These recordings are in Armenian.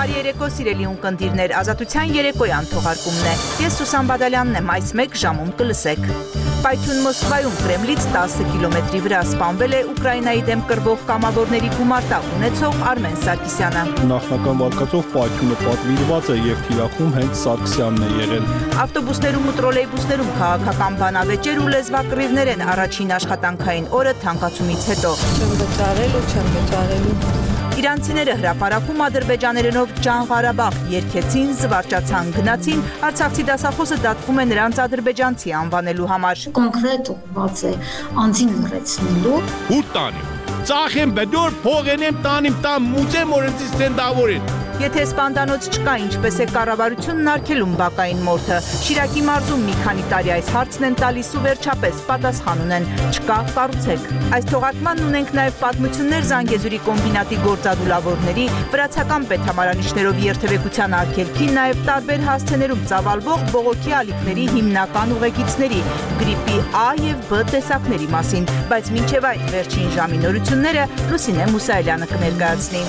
Բարի երեկո սիրելի ունկնդիրներ, Ազատության երեկոյան թողարկումն է։ Ես Սուսան Բադալյանն եմ, այս մեկ ժամում կլսեք։ Պայթյուն Մոսկվայում Կրեմլից 10 կիլոմետրի վրա սպանվել է Ուկրաինայի դեմ կռվող կամավորների գումարտակ ունեցող Արմեն Սարգսյանը։ Նախնական վարկածով պայթյունը պատվիրված է եւ թիրախում հենց Սարգսյանն է եղել։ Ավտոբուսներում ու տրոլեյբուսներում քաղաքական բանավեճեր ու լեզվակռիվներ են առաջին աշխատանքային օրը թանկացումից հետո։ Չեմ վճարելու։ Իրանցիները հրապարակում ադրբեջաներենով Ջան Ղարաբաղ երգեցին, զվարճացան, գնացին, արցախցի դասախոսը դատվում է նրանց ադրբեջանցի անվանելու համար։ Կոնկրետ ուղղված է անձին լրացնելու։ Ուր տանիմ, ծախեմ բդոր, փողենեմ տանիմ, տան մուծեմ օրենցից տենդավորին։ Եթե սպանդանոց չկա, ինչպես է կառավարությունն արգելում բակային մորթը։ Շիրակի մարզում մի քանի տարի այս հարցն են տալիս ու վերջապես պատասխան ունեն՝ չկա, կառուցեք։ Այս թողարկմանն ունենք նաև պատմություններ Զանգեզուրի կոմբինատի գործադուլավորների, վրացական պետհամարանիշներով երթևեկության արգելքի, նաև տարբեր հասցեներում ծավալվող բողոքի ալիքների հիմնական ուղեկիցների՝ գրիպի A և B տեսակների մասին, բայց մինչև այդ վերջին ժամի նորությունները Լուսինե Մուսայելյանը կներկայացնի։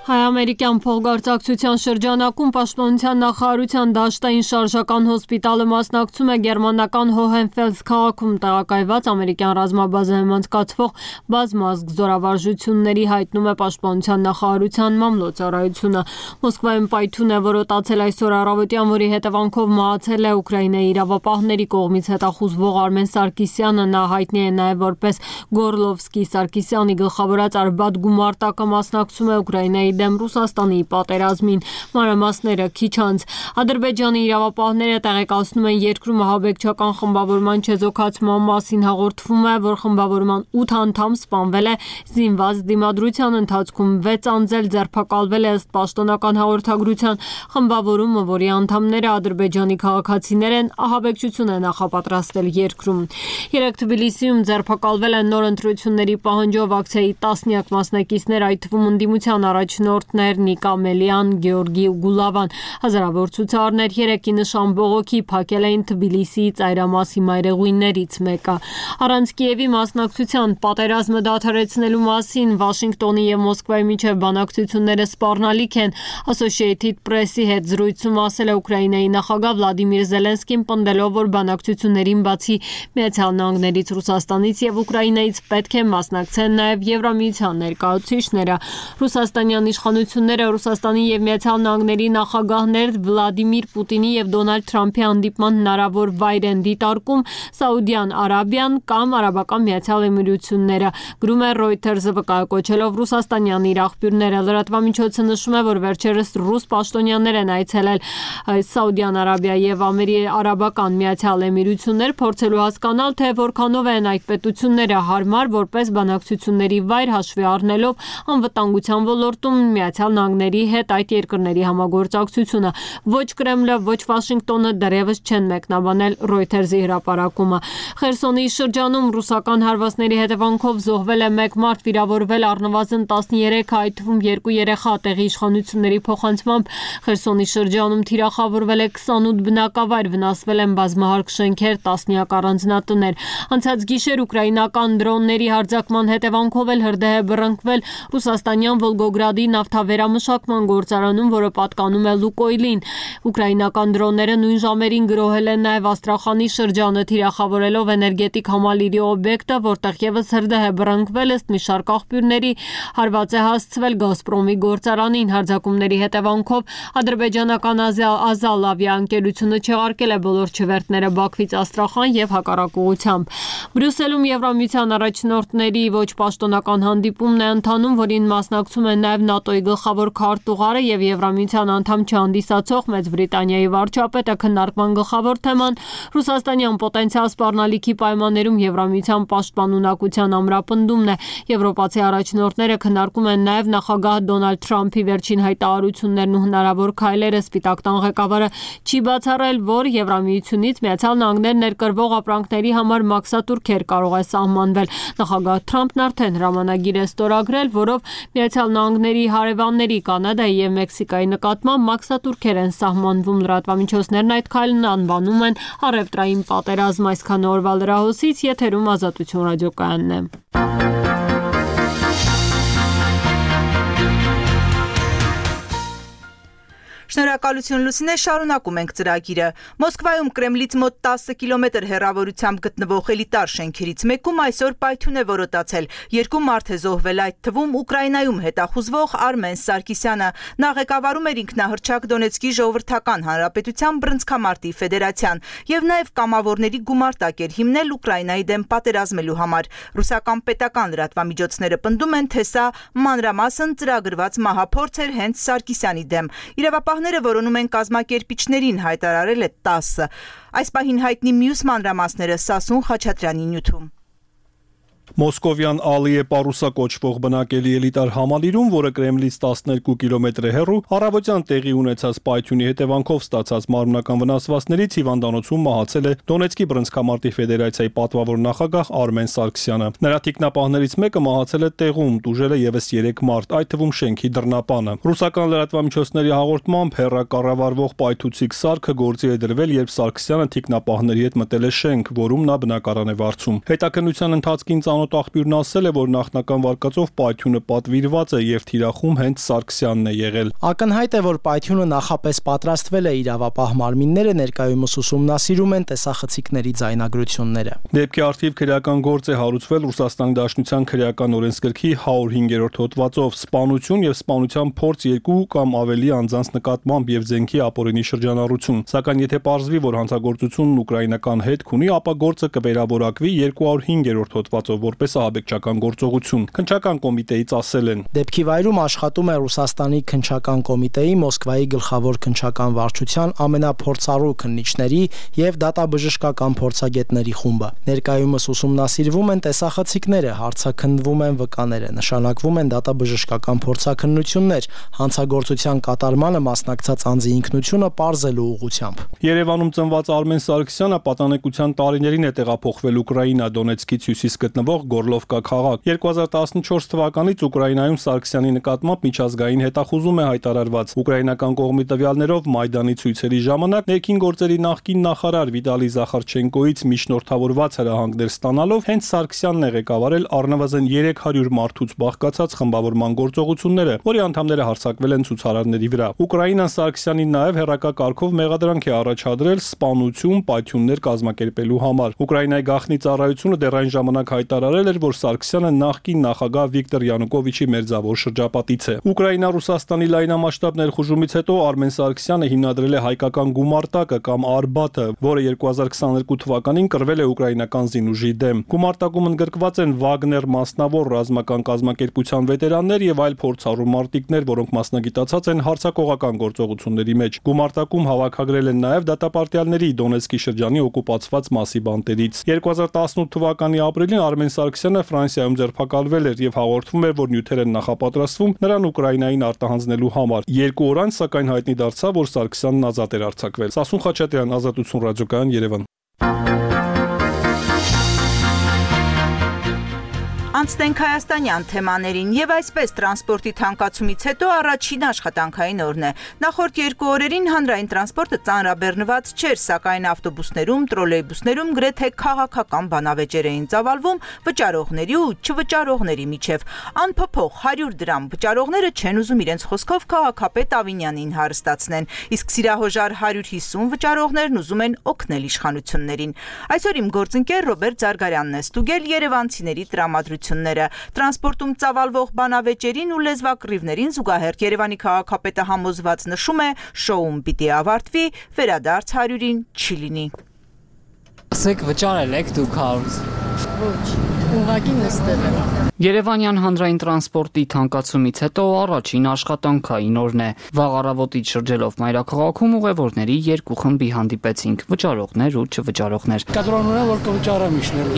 Հայ-ամերիկյան փոխգործակցության շրջանակում Պաշտպանության նախարարության դաշտային շարժական հոսպիտալը մասնակցում է գերմանական Հոհենֆելս քաղաքում տեղակայված ամերիկյան ռազմաբազայում անցկացվող բազմազգ զորավարժությունների, հայտնում է Պաշտպանության նախարարության մամլոյցարայությունը։ Մոսկվայում պայթյուն է որոտացել այսօր առավոտյան, որի հետևանքով մահացել է Ուկրաինայի իրավապահների կողմից հետախուզվող Արմեն Սարգսյանը։ Նա հայտնի է նաև որպես Գորլովսկի Սարգսյանի գլխավորած Արբաթ գումարտակը մասնակցում է Ուկրաինայի դեմ Ռուսաստանի պատերազմին։ Մանրամասները քիչ անց։ Ադրբեջանի իրավապահները տեղեկացնում են երկրում ահաբեկչական խմբավորման չեզոքացման մասին, հաղորդվում է, որ խմբավորման 8 անդամ սպանվել է զինված դիմադրության ընթացքում, 6 անձել ձերբակալվել է ըստ պաշտոնական հաղորդագրության։ Խմբավորումը, որի անդամները ադրբեջանի քաղաքացիներ են, ահաբեկչություն է նախապատրաստել երկրում։ Երեկ Թբիլիսիում ձերբակալվել են նոր ընտրությունների պահանջով ակցիայի տասնյակ մասնակիցներ, այդ թվում ընդդիմության առաջնորդներ Նիկա Մելյան, Գեորգի Գուլավան, հազարավոր ցուցարներ երեկի նշան բողոքի փակել էին Թբիլիսիի ծայրամասի մայրեղույններից մեկը։ Առանց Կիևի մասնակցության պատերազմը դադարեցնելու մասին Վաշինգտոնի եւ Մոսկվայի միջև բանակցությունները սպառնալիք են։ Associated Press-ի հետ զրույցում ասել է Ուկրաինայի նախագահ Վլադիմիր Զելենսկին, պնդելով, որ բանակցություններին բացի Միացյալ Նահանգներից, Ռուսաստանից եւ Ուկրաինայից պետք է մասնակցեն նաեւ Եվրամիության ներկայացուցիչները։ Ռուսաստանյան իշխանությունները Ռուսաստանի եւ Միացյալ Նահանգների նախագահներ Վլադիմիր Պուտինի եւ Դոնալդ Թրամփի հանդիպման հնարավոր վայր են դիտարկում Սաուդյան Արաբիան կամ Արաբական Միացյալ Էմիրությունները, գրում է Reuters-ը վկայակոչելով ռուսաստանյան իր աղբյուրները։ Լրատվամիջոցը նշում է, որ վերջերս ռուս պաշտոնյաներ են այցելել Սաուդյան Արաբիա եւ Արաբական Միացյալ Էմիրություններ, փորձելու հասկանալ, թե որքանով են այդ պետությունները հարմար որպես բանակցությունների վայր, հաշվի առնելով անվտանգության ոլորտում Միացյալ Նահանգների հետ այդ երկրների համագործակցությունը։ Ոչ Կրեմլը, ոչ Վաշինգտոնը դեռևս չեն մեկնաբանել Reuters-ի հրապարակումը։ Խերսոնի շրջանում ռուսական հարվածների հետևանքով զոհվել է 1 մարդ, վիրավորվել առնվազն 13, այդ թվում 2 երեխա։ Տեղի իշխանությունների փոխանցմամբ Խերսոնի շրջանում թիրախավորվել է 28 բնակավայր, վնասվել են բազմահարկ շենքեր, տասնյակ առանձնատներ։ Անցած գիշեր ուկրաինական դրոնների հարձակման հետևանքով էլ հրդեհ է բռնկվել Ռուսաստանյան Վոլգոգրադի նավթավերամշակման գործարանում, որը պատկանում է Լուկոյլին։ Ուկրաինական դրոնները նույն ժամերին գրոհել են նաև Աստրախանի շրջանը, թիրախավորելով էներգետիկ համալիրի օբյեկտը, որտեղ եւս հրդեհ է բռնկվել ըստ մի շարք աղբյուրների, հարված է հասցվել Գազպրոմի գործարանին։ Հարձակումների հետևանքով ադրբեջանական Ազալ ավիաընկերությունը չեղարկել է բոլոր չվերթները Բաքվից Աստրախան եւ հակառակ ուղղությամբ։ Բրյուսելում Եվրամիության առաջնորդների ոչ պաշտոնական հանդիպումն է ընթանում, որին մասնակցում են նաև ՆԱՏՕ-ի գլխավոր քարտուղարը եւ Եվրամիության անդամ չհանդիսացող Մեծ Բրիտանիայի վարչապետը։ Քննարկման գլխավոր թեման ռուսաստանյան պոտենցիալ սպառնալիքի պայմաններում Եվրամիության պաշտպանունակության ամրապնդումն է։ Եվրոպացի առաջնորդները քննարկում են նաև նախագահ Դոնալդ Թրամփի վերջին հայտարարություններն ու հնարավոր քայլերը։ Սպիտակ տան ղեկավարը չի բացառել, որ Եվրամիությունից Միացյալ Նահանգներ ներկրվող ապրանքների համար մաքսատուրքեր կարող է սահմանվել։ Նախագահ Թրամփն արդեն հրամանագիր է ստորագրել, որով Միացյալ Նահանգների հարևանների Կանադայի եւ Մեքսիկայի նկատմամբ մաքսատուրքեր են սահմանվում։ Լրատվամիջոցներն այդ քայլն անվանում են առևտրային պատերազմ։ Այսքան օրվա լրահոսից եթերում Ազատություն ռադիոկայանն է։ Շնորհակալություն Լուսինե, շարունակում ենք ծրագիրը։ Մոսկվայում Կրեմլից մոտ 10 կիլոմետր հեռավորությամբ գտնվող էլիտար շենքերից մեկում այսօր պայթյուն է որոտացել։ 2 մարդ է զոհվել, այդ թվում Ուկրաինայում հետախուզվող Արմեն Սարգսյանը։ Նա ղեկավարում էր ինքնահռչակ Դոնեցկի ժողովրդական հանրապետության բռնցքամարտի ֆեդերացիան եւ նաեւ կամավորների գումարտակ էր հիմնել Ուկրաինայի դեմ պատերազմելու համար։ Ռուսական պետական լրատվամիջոցները պնդում են, թե սա մանրամասն ծրագրված մահափորձ էր հենց Սարգսյանի դեմ։ Իրավապահները որոնում են կազմակերպիչներին, հայտարարել է 10։ Այս պահին հայտնի մյուս մանրամասները Սասուն Խաչատրյանի նյութում։ Մոսկովյան Ալիե Պարուսա կոչվող բնակելի էլիտար համալիրում, որը Կրեմլից 12 կիլոմետր է հեռու, առավոտյան տեղի ունեցած պայթյունի հետևանքով ստացած մարմնական վնասվածքներից հիվանդանոցում մահացել է Դոնեցկի բռնցքամարտի ֆեդերացիայի պատվավոր նախագահ Արմեն Սարգսյանը։ Նրա թիկնապահներից մեկը մահացել է տեղում, տուժել է եւս 3 մարդ, այդ թվում շենքի դռնապանը։ Ռուսական լրատվամիջոցների հաղորդմամբ հեռակառավարվող պայթուցիկ սարքը գործի է դրվել, երբ Սարգսյանը թիկնապահների հետ մտել է շենք, որում նա բնակարան է վարձում։ Հետաքննության ընթացքին ծանոթ աղբյուրն ասել է, որ նախնական վարկածով պայթյունը պատվիրված է եւ թիրախում հենց Սարգսյանն է եղել։ Ակնհայտ է, որ պայթյունը նախապես պատրաստվել է, իրավապահ մարմինները ներկայումս ուսումնասիրում են տեսախցիկների ձայնագրությունները։ Դեպքի առթիվ քրեական գործ է հարուցվել Ռուսաստանի Դաշնության քրեական օրենսգրքի 105-րդ հոդվածով սպանություն եւ սպանության փորձ 2 կամ ավելի անձանց նկատմամբ եւ զենքի ապօրինի շրջանառություն։ Սակայն եթե պարզվի, որ հանցագործությունն ուկրաինական հետք ունի, ապա գործը կվերավորակվի 205-րդ հոդվածով որպես ահաբեկչական գործողություն, քննչական կոմիտեից ասել են։ Դեպքի վայրում աշխատում է Ռուսաստանի քննչական կոմիտեի Մոսկվայի գլխավոր քննչական վարչության ամենափորձառու քննիչների եւ դատաբժշկական փորձագետների խումբը։ Ներկայումս ուսումնասիրվում են տեսախցիկները, հարցաքննվում են վկաները, նշանակվում են դատաբժշկական փորձաքննություններ, հանցագործության կատարմանը մասնակցած անձի ինքնությունը պարզելու ուղղությամբ։ Երևանում ծնված Արմեն Սարգսյանը պատանեկության տարիներին է տեղափոխվել Ուկրաինա, Դոնեցկից հյուսիս գտնվող Գորլովկա քաղաք։ 2014 թվականից Ուկրաինայում Սարգսյանի նկատմամբ միջազգային հետախուզում է հայտարարված։ Ուկրաինական կողմի տվյալներով Մայդանի ցույցերի ժամանակ ներքին գործերի նախկին նախարար Վիտալի Զախարչենկոից միջնորդավորված հրահանգներ ստանալով հենց Սարգսյանն է ղեկավարել առնվազն 300 մարդուց բաղկացած խմբավորման գործողությունները, որի անդամները հարձակվել են ցուցարարների վրա։ Ուկրաինան Սարգսյանին նաև հերրակա կարգով մեղադրանք է առաջադրել սպանություն, պայթյուններ կազմակերպելու համար։ Ուկրաինայի գաղտնի ծառայությունը դեռ այն ժամանակ հայտարարել էր, որ Սարգսյանը նախկին նախագահ Վիկտոր Յանուկովիչի մերձավոր շրջապատից է։ Ուկրաինա-Ռուսաստանի լայնամասշտաբ ներխուժումից հետո Արմեն Սարգսյանը հիմնադրել է հայկական գումարտակը կամ Արբաթը, որը 2022 թվականին կրվել է ուկրաինական զինուժի դեմ։ Գումարտակում ընդգրկված են Վագներ մասնավոր ռազմական կազմակերպության վետերաններ եւ այլ փորձառու մարտիկներ, որոնք մասնագիտացած են հարձակողական գործողությունների մեջ։ Գումարտակում հավաքագրել են նաեւ դատապարտյալների Դոնեցկի շրջանի օկուպացված մասի բանտերից։ 2018 թվականի ապրիլին Արմեն Սարգսյանը Ֆրանսիայում ձերբակալվել էր եւ հաղորդվում էր, որ նյութեր են նախապատրաստվում նրան Ուկրաինային արտահանձնելու համար։ 2 օր անց սակայն հայտնի դարձավ, որ Սարգսյանն ազատ էր արձակվել։ Սասուն Խաչատրյան, Ազատություն ռադիոկայան, Երևան։ Անցնենք հայաստանյան թեմաներին եւ այսպես տրանսպորտի թանկացումից հետո առաջին աշխատանքային օրն է։ Նախորդ 2 օրերին հանրային տրանսպորտը ծանրաբեռնված չէր, սակայն ավտոբուսներում, տրոլեյբուսներում գրեթե քաղաքական բանավեճեր էին ծավալվում վճարողների ու չվճարողների միջև։ Անփոփոխ 100 դրամ վճարողները չեն ուզում իրենց խոսքով քաղաքապետ Ավինյանին հարստացնեն, իսկ սիրահոժար 150 վճարողներն ուզում են օգնել իշխանություններին։ Այսօր իմ գործընկեր Ռոբերտ Զարգարյանն է ստուգել երևանցիների տրամադրությունները։ Տրանսպորտում ծավալվող բանավեճերին ու լեզվակռիվներին զուգահեռ Երևանի քաղաքապետը համոզված նշում է, շոուն պիտի ավարտվի, վերադարձ 100-ին չի լինի։ Ասեք վճարել եք դուք 100։ Ոչ, ուղղակի նստել եմ։ Երևանյան հանրային տրանսպորտի թանկացումից հետո առաջին աշխատանքային օրն է։ Վաղ առավոտից շրջելով մայրաքաղաքում ուղևորների 2 խմբի հանդիպեցինք՝ վճարողներ ու չվճարողներ։ Կադրոնները որ կվճարեմ իշնել։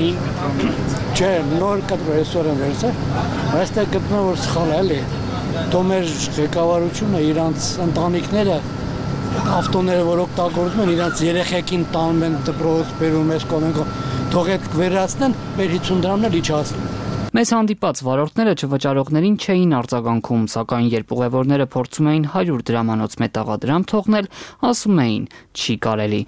Չէ, նոր կադրոն այսօր եմ վերցել, այստեղ գտնում որ սխալ է, էլի։ Դու մեր ղեկավարությունը իրանց ընտանիքները ավտոները որ օգտագործում են իրանց երեխեքին տանում են դպրոց, բերում ես կողմենքով, թող այդ վերացնեն, մեր 50 դրամն էլ իջացնեն։ Մեզ հանդիպած վարորդները չվճարողներին չէին արձագանքում, սակայն երբ ուղևորները փորձում էին 100 դրամանոց մետաղադրամ թողնել, ասում էին՝ չի կարելի։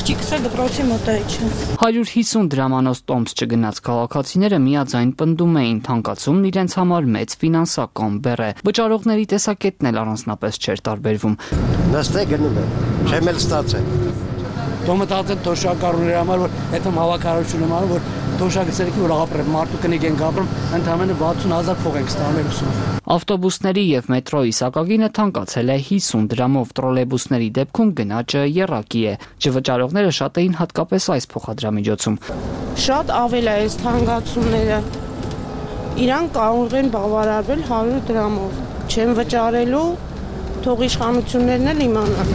Աղջիկս է դպրոցի մոտայիչ է։ 150 դրամանոց տոմս չգնաց քաղաքացիները միաձայն պնդում էին թանկացումն իրենց համար մեծ ֆինանսական բեռ է։ Վճարողների տեսակետն էլ առանձնապես չէր տարբերվում։ Նստե գնում է, չեմ էլ ստացել։ Դու մտածել թոշակառուների համար, որ հետո հավաքարարությունը համար, որ թոշակը որ ապրել, մարդու կնիկ ենք ապրում, ընդհանրապես 60,000 փող ենք ստանում ուսում։ Ավտոբուսների եւ մետրոյի սակագինը թանկացել է 50 դրամով, տրոլեյբուսների դեպքում գնաճը եռակի է։ Չվճարողները շատ էին հատկապես այս փոխադրամիջոցում։ Շատ ավել է այս թանկացումները։ Իրան կարող են բավարարվել 100 դրամով։ Չեն վճարելու, թող իշխանություններն էլ իմանան։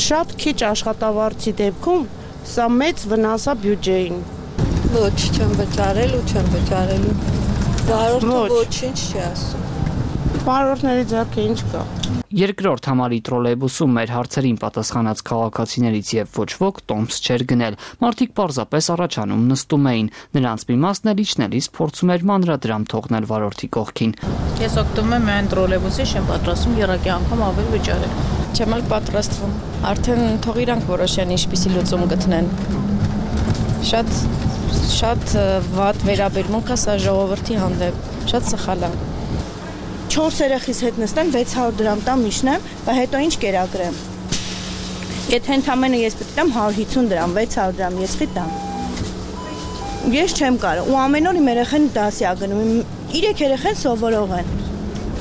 Շատ քիչ աշխատավարձի դեպքում սա մեծ վնաս է բյուջեին։ Ոչ, չեմ վճարելու։ Վարորդը ոչինչ չի ասում։ Վարորդների ձեռքը ինչ կա։ Երկրորդ համարի տրոլեյբուսում մեր հարցերին պատասխանած քաղաքացիներից եւ ոչ ոք տոմս չէր գնել։ Մարդիկ պարզապես առաջանում նստում էին։ Նրանց մի մասն էլ իջնելիս փորձում էր մանրադրամ թողնել վարորդի կողքին։ Ես օգտվում եմ միայն տրոլեյբուսի, չեմ պատրաստվում եռակի անգամ ավել վճարել։ Չեմ էլ պատրաստվում։ Արդեն թող իրանք որոշեն ինչպիսի լուծում գտնեն։ Շատ վատ վերաբերմունք է սա ժողովրդի հանդեպ։ Շատ սխալ է։ 4 երեխիս հետ նստեմ 600 դրամ տամ իջնեմ, բայց հետո ինչ կերակրեմ։ Եթե ընդամենը ես պետք է տամ 150 դրամ, 600 դրամ ես խիտամ։ Ես չեմ կարող, ու ամեն օր իմ երեխեն դասի ա գնում, 3 երեխեն սովորող են։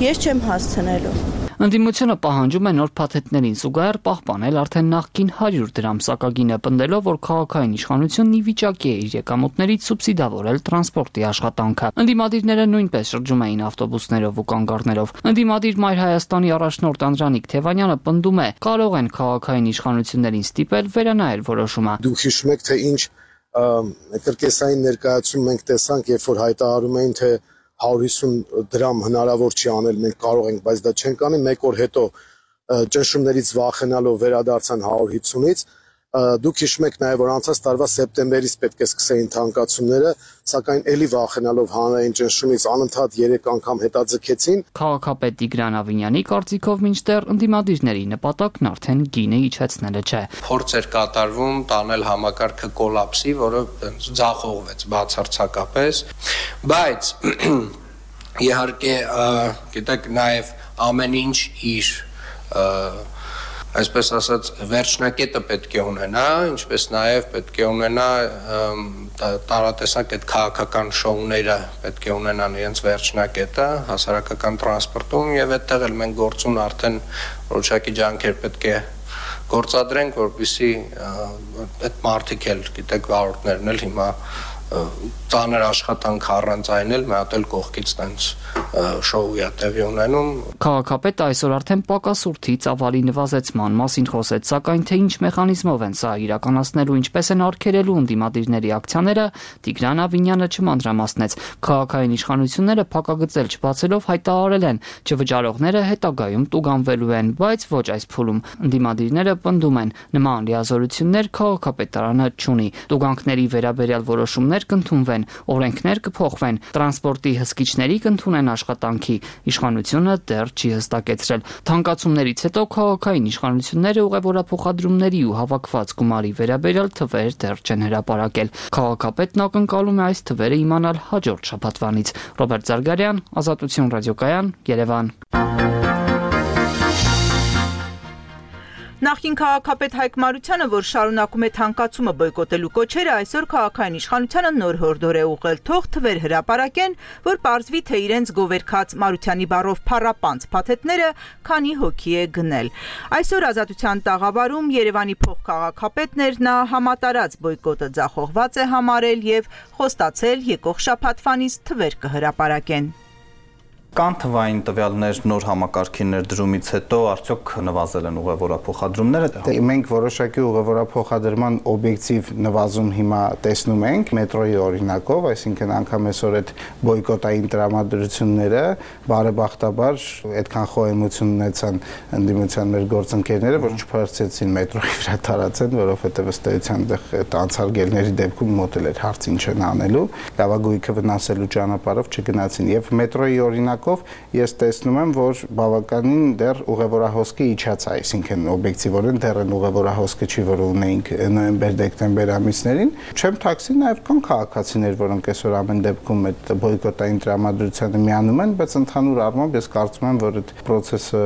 Ես չեմ հասցնելու։ Ընդդիմությունը պահանջում է նոր փաթեթներին զուգահեռ պահպանել արդեն նախկին 100 դրամ սակագինը, պնդելով, որ քաղաքային իշխանությունն ի վիճակի է իր եկամուտներից սուբսիդավորել տրանսպորտի աշխատանքը։ Ընդդիմադիրները նույնպես շրջում էին ավտոբուսներով ու կանգառներով։ Ընդդիմադիր Մայր Հայաստանի առաջնորդ Անդրանիկ Թևանյանը պնդում է, կարող են քաղաքային իշխանություններին ստիպել վերանայել որոշումը։ Դուք հիշում եք, թե ինչ կրկեսային ներկայացում մենք տեսանք, երբ որ հայտարարում էին, թե 150 դրամ հնարավոր չի անել, մենք կարող ենք, բայց դա չենք անի, մեկ օր հետո ճնշումներից վախենալով վերադարձան 150-ից, դուք հիշում եք նաև, որ անցած տարվա սեպտեմբերից պետք է սկսեին թանկացումները, սակայն էլի վախենալով հանրային ճնշումից անընդհատ 3 անգամ հետաձգեցին։ Քաղաքապետ Տիգրան Ավինյանի կարծիքով մինչդեռ ընդդիմադիրների նպատակն արդեն գինը իջեցնելը չէ։ Փորձ էր կատարվում տանել համակարգը կոլապսի, որը ձախողվեց բացարձակապես, բայց իհարկե, գիտեք, նաև ամեն ինչ իր այսպես ասած վերջնակետը պետք է ունենա, ինչպես նաև պետք է ունենա տարատեսակ այդ քաղաքական շոուները պետք է ունենան իրենց վերջնակետը հասարակական տրանսպորտում եւ այդտեղ էլ մենք գործուն արդեն որոշակի ջանքեր պետք է գործադրենք, որպեսզի այդ մարդիկ էլ, գիտեք, վարորդներն էլ հիմա ծանր աշխատանք առանց այն էլ մի հատ էլ կողքից տենց շոուի է տեղի ունենում։ Քաղաքապետը այսօր արդեն պակասուրդի ծավալի նվազեցման մասին խոսեց, սակայն թե ինչ մեխանիզմով են սա իրականացնելու, ինչպես են արգելելու ընդդիմադիրների ակցիաները, Տիգրան Ավինյանը չմանրամասնեց։ Քաղաքային իշխանությունները փակագծել չբացելով հայտարարել են, չվճարողները հետագայում տուգանվելու են, բայց ոչ այս փուլում։ Ընդդիմադիրները պնդում են, նման լիազորություններ քաղաքապետարանը չունի։ Տուգանքների վերաբերյալ որոշումներ կընդունվեն, օրենքներ կփոխվեն, տրանսպորտի հսկիչների կընդունեն աշխատանքի, իշխանությունը դեռ չի հստակեցրել։ Թանկացումներից հետո քաղաքային իշխանությունները ուղևորափոխադրումների ու հավաքված գումարի վերաբերյալ թվեր դեռ չեն հրապարակել։ Քաղաքապետն ակնկալում է այս թվերը իմանալ հաջորդ շաբաթվանից։ Ռոբերտ Զարգարյան, Ազատություն ռադիոկայան, Երևան։ Նախկին քաղաքապետ Հայկ Մարությանը, որ շարունակում է թանկացումը բոյկոտելու կոչերը, այսօր քաղաքային իշխանությանը նոր հորդոր է ուղղել, թող թվեր հրապարակեն, որ պարզվի, թե իրենց գովերքած Մարությանի բառով փառապանց փաթեթները քանի հոգի է գնել։ Այսօր Ազատության տաղավարում Երևանի փոխքաղաքապետն էր, նա համատարած բոյկոտը ձախողված է համարել եւ խոստացել եկող շաբաթվանից թվեր կհրապարակեն։ Կան թվային տվյալներ նոր համակարգի ներդրումից հետո արդյոք նվազել են ուղևորափոխադրումները։ Մենք որոշակի ուղևորափոխադրման օբյեկտիվ նվազում հիմա տեսնում ենք մետրոյի օրինակով, այսինքն անգամ այսօր այդ բոյկոտային տրամադրությունները բարեբախտաբար այդքան խոհեմություն ունեցան ընդդիմության մեր գործընկերները, որ չփորձեցին մետրոյի վրա տարածեն, որովհետև ըստ էության այդ անցարգելների դեպքում մոտ էլ էր հարց ինչ են անելու, լավագույնը վնասելու ճանապարհով չգնացին եւ մետրոյի օրինակ ժամանակով ես տեսնում եմ, որ բավականին դեռ ուղևորահոսքը իջած է, այսինքն օբյեկտիվորեն դեռ են ուղևորահոսքը չի, որ ունեինք նոյեմբեր-դեկտեմբեր ամիսներին։ Չեմ ཐակսի նաև կան քաղաքացիներ, որոնք այսօր ամեն դեպքում այդ բոյկոտային տրամադրությանը միանում են, բայց ընդհանուր առմամբ ես կարծում եմ, որ այդ process-ը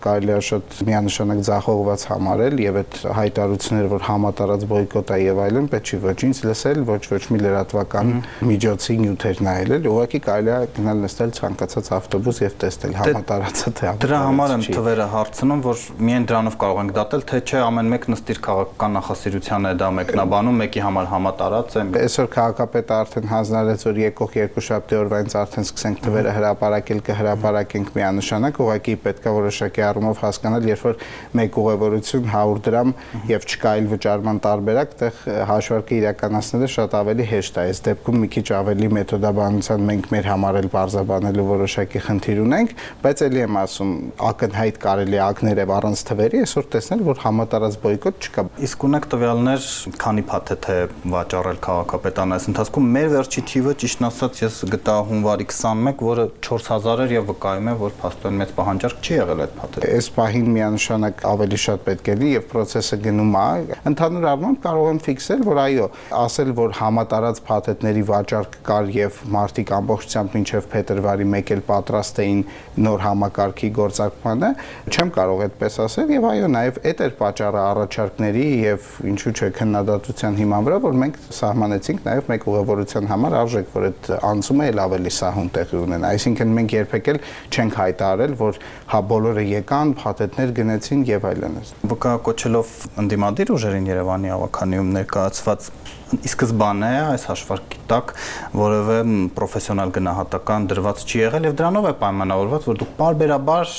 կարելի է շատ միանշանակ ձախողված համարել եւ այդ հայտարարությունները, որ համատարած բոյկոտ է եւ այլն, պետք չի ոչինչ լսել, ոչ մի լրատվական միջոցի նյութեր նայել, ուղղակի կարելի է գնալ նստել ցանկացած ավտոբուս եւ տեսնել համատարածը թե դրա համար եմ թվերը հարցնում, որ միայն դրանով կարող ենք դատել, թե չէ ամեն մեկ նստիր քաղաքական նախասիրության է դա մեկնաբանում, մեկի համար համատարած է։ Այսօր քաղաքապետը արդեն հանձնարարեց, որ եկող երկուշաբթի օրվանից արդեն սկսենք թվերը հրապարակել, կհրապարակենք միանշանակ, ուղղակի պետք է որոշակի առումով հասկանալ, երբ որ մեկ ուղևորություն 100 դրամ եւ չկա այլ վճարման տարբերակ, այդտեղ հաշվարկը իրականացնելը շատ ավելի հեշտ է։ Այս դեպքում մի քիչ ավելի մեթոդաբանության մենք մեր համար էլ բարձրաբանելու որոշակի խնդիր ունենք, բայց ելի եմ ասում, ակնհայտ կարելի է ակներև առանց թվերի այսօր տեսնել, որ համատարած բոյկոտ չկա։ Իսկ ունեք տվյալներ, քանի փաթեթ է վաճառել քաղաքապետարանը այս ընթացքում։ Մեր վերջի թիվը, ճիշտն ասած, ես գտա հունվարի 21, որը 4000 էր եւ վկայում է, որ փաստորեն մեծ պահանջարկ չի եղել այդ փաթեթը։ Այս պահին միանշանակ ավելի շատ պետք է լինի եւ process-ը գնում է։ Ընդհանուր առմամբ կարող եմ ֆիքսել, որ այո, ասել, որ համատարած փաթեթների վաճառք կար եւ մարդիկ ամբողջությամբ մինչեւ փետրվարի 1 էլ պատրաստ էին նոր համակարգի գործարկմանը, չեմ կարող այդպես ասել եւ այո, նաեւ այդ էր պատճառը առաջարկների եւ ինչու՞ չէ քննադատության հիման վրա, որ մենք սահմանեցինք նաեւ մեկ ուղևորության համար արժեք, որ այդ անցումը էլ ավելի սահուն տեղի ունենա։ Այսինքն մենք երբեք էլ չենք հայտարարել, որ հա բոլորը եկան, փաթեթներ գնեցին եւ այլն։ Վկայակոչելով ընդդիմադիր ուժերին Երևանի ավականիում ներկայացված ի սկզբանե այս հաշվարկի տակ որևէ պրոֆեսիոնալ գնահատական դրված չի եղել եւ դրանով է պայմանավորված, որ դուք բարբերաբար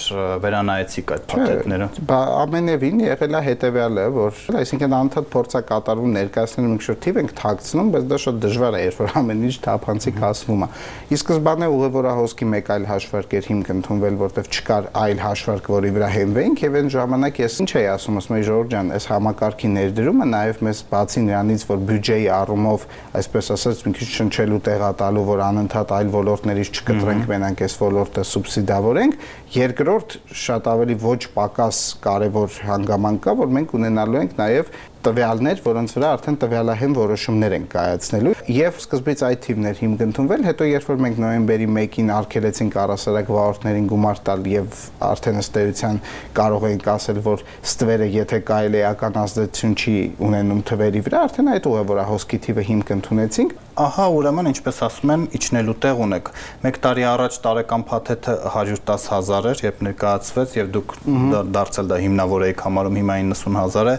վերանայեցիք այդ փաթեթները։ Ամենևին եղել է հետեւյալը, որ այսինքն անդադ փորձա կատարում ներկայացնել մենք շուտով ենք թաքցնում, բայց դա շատ դժվար է, երբ որ ամեն ինչ թափանցիկ ասվում է։ Ի սկզբանե ուղևորահոսքի մեկ այլ հաշվարկ էր հիմք ընդունվել, որտեղ չկար այլ հաշվարկ, որի վրա հենվեինք եւ այն ժամանակ ես ինչ էի ասում, ասում էի Ժորժ ջան, այս համակարգի ներդրումը նաեւ մեզ բացի նրանից, որ բյուջեի առումով, այսպես ասած, մի քիչ շնչելու տեղատալու, որ անընդհատ այլ ոլորտներից չկտրենք, մենակ այս ոլորտը սուբսիդավորենք, երկրորդ շատ ավելի ոչ պակաս կարևոր հանգամանք կա, որ մենք ունենալու ենք նաեւ տվյալներ, որոնց վրա արդեն տվյալահեն որոշումներ են կայացնելու եւ սկզբից այդ թիվներ հիմք ընդունվել, հետո երբ որ մենք նոյեմբերի 1-ին արգելեցինք առասարակ վարորդներին գումար տալ եւ արդեն ըստ էության կարող ենք ասել, որ ստվերը եթե կայել էական ազդեցություն չի ունենում թվերի վրա, արդեն այդ ուղևորահոսքի թիվը հիմք ընդունեցինք։ Ահա, ուրեմն ինչպես ասում են, իջնելու տեղ ունեք։ 1 տարի առաջ տարեկան փաթեթը 110,000 էր, երբ ներկայացվեց եւ դուք դարձել դա հիմնավոր եք համարում, հիմա 90,000 է,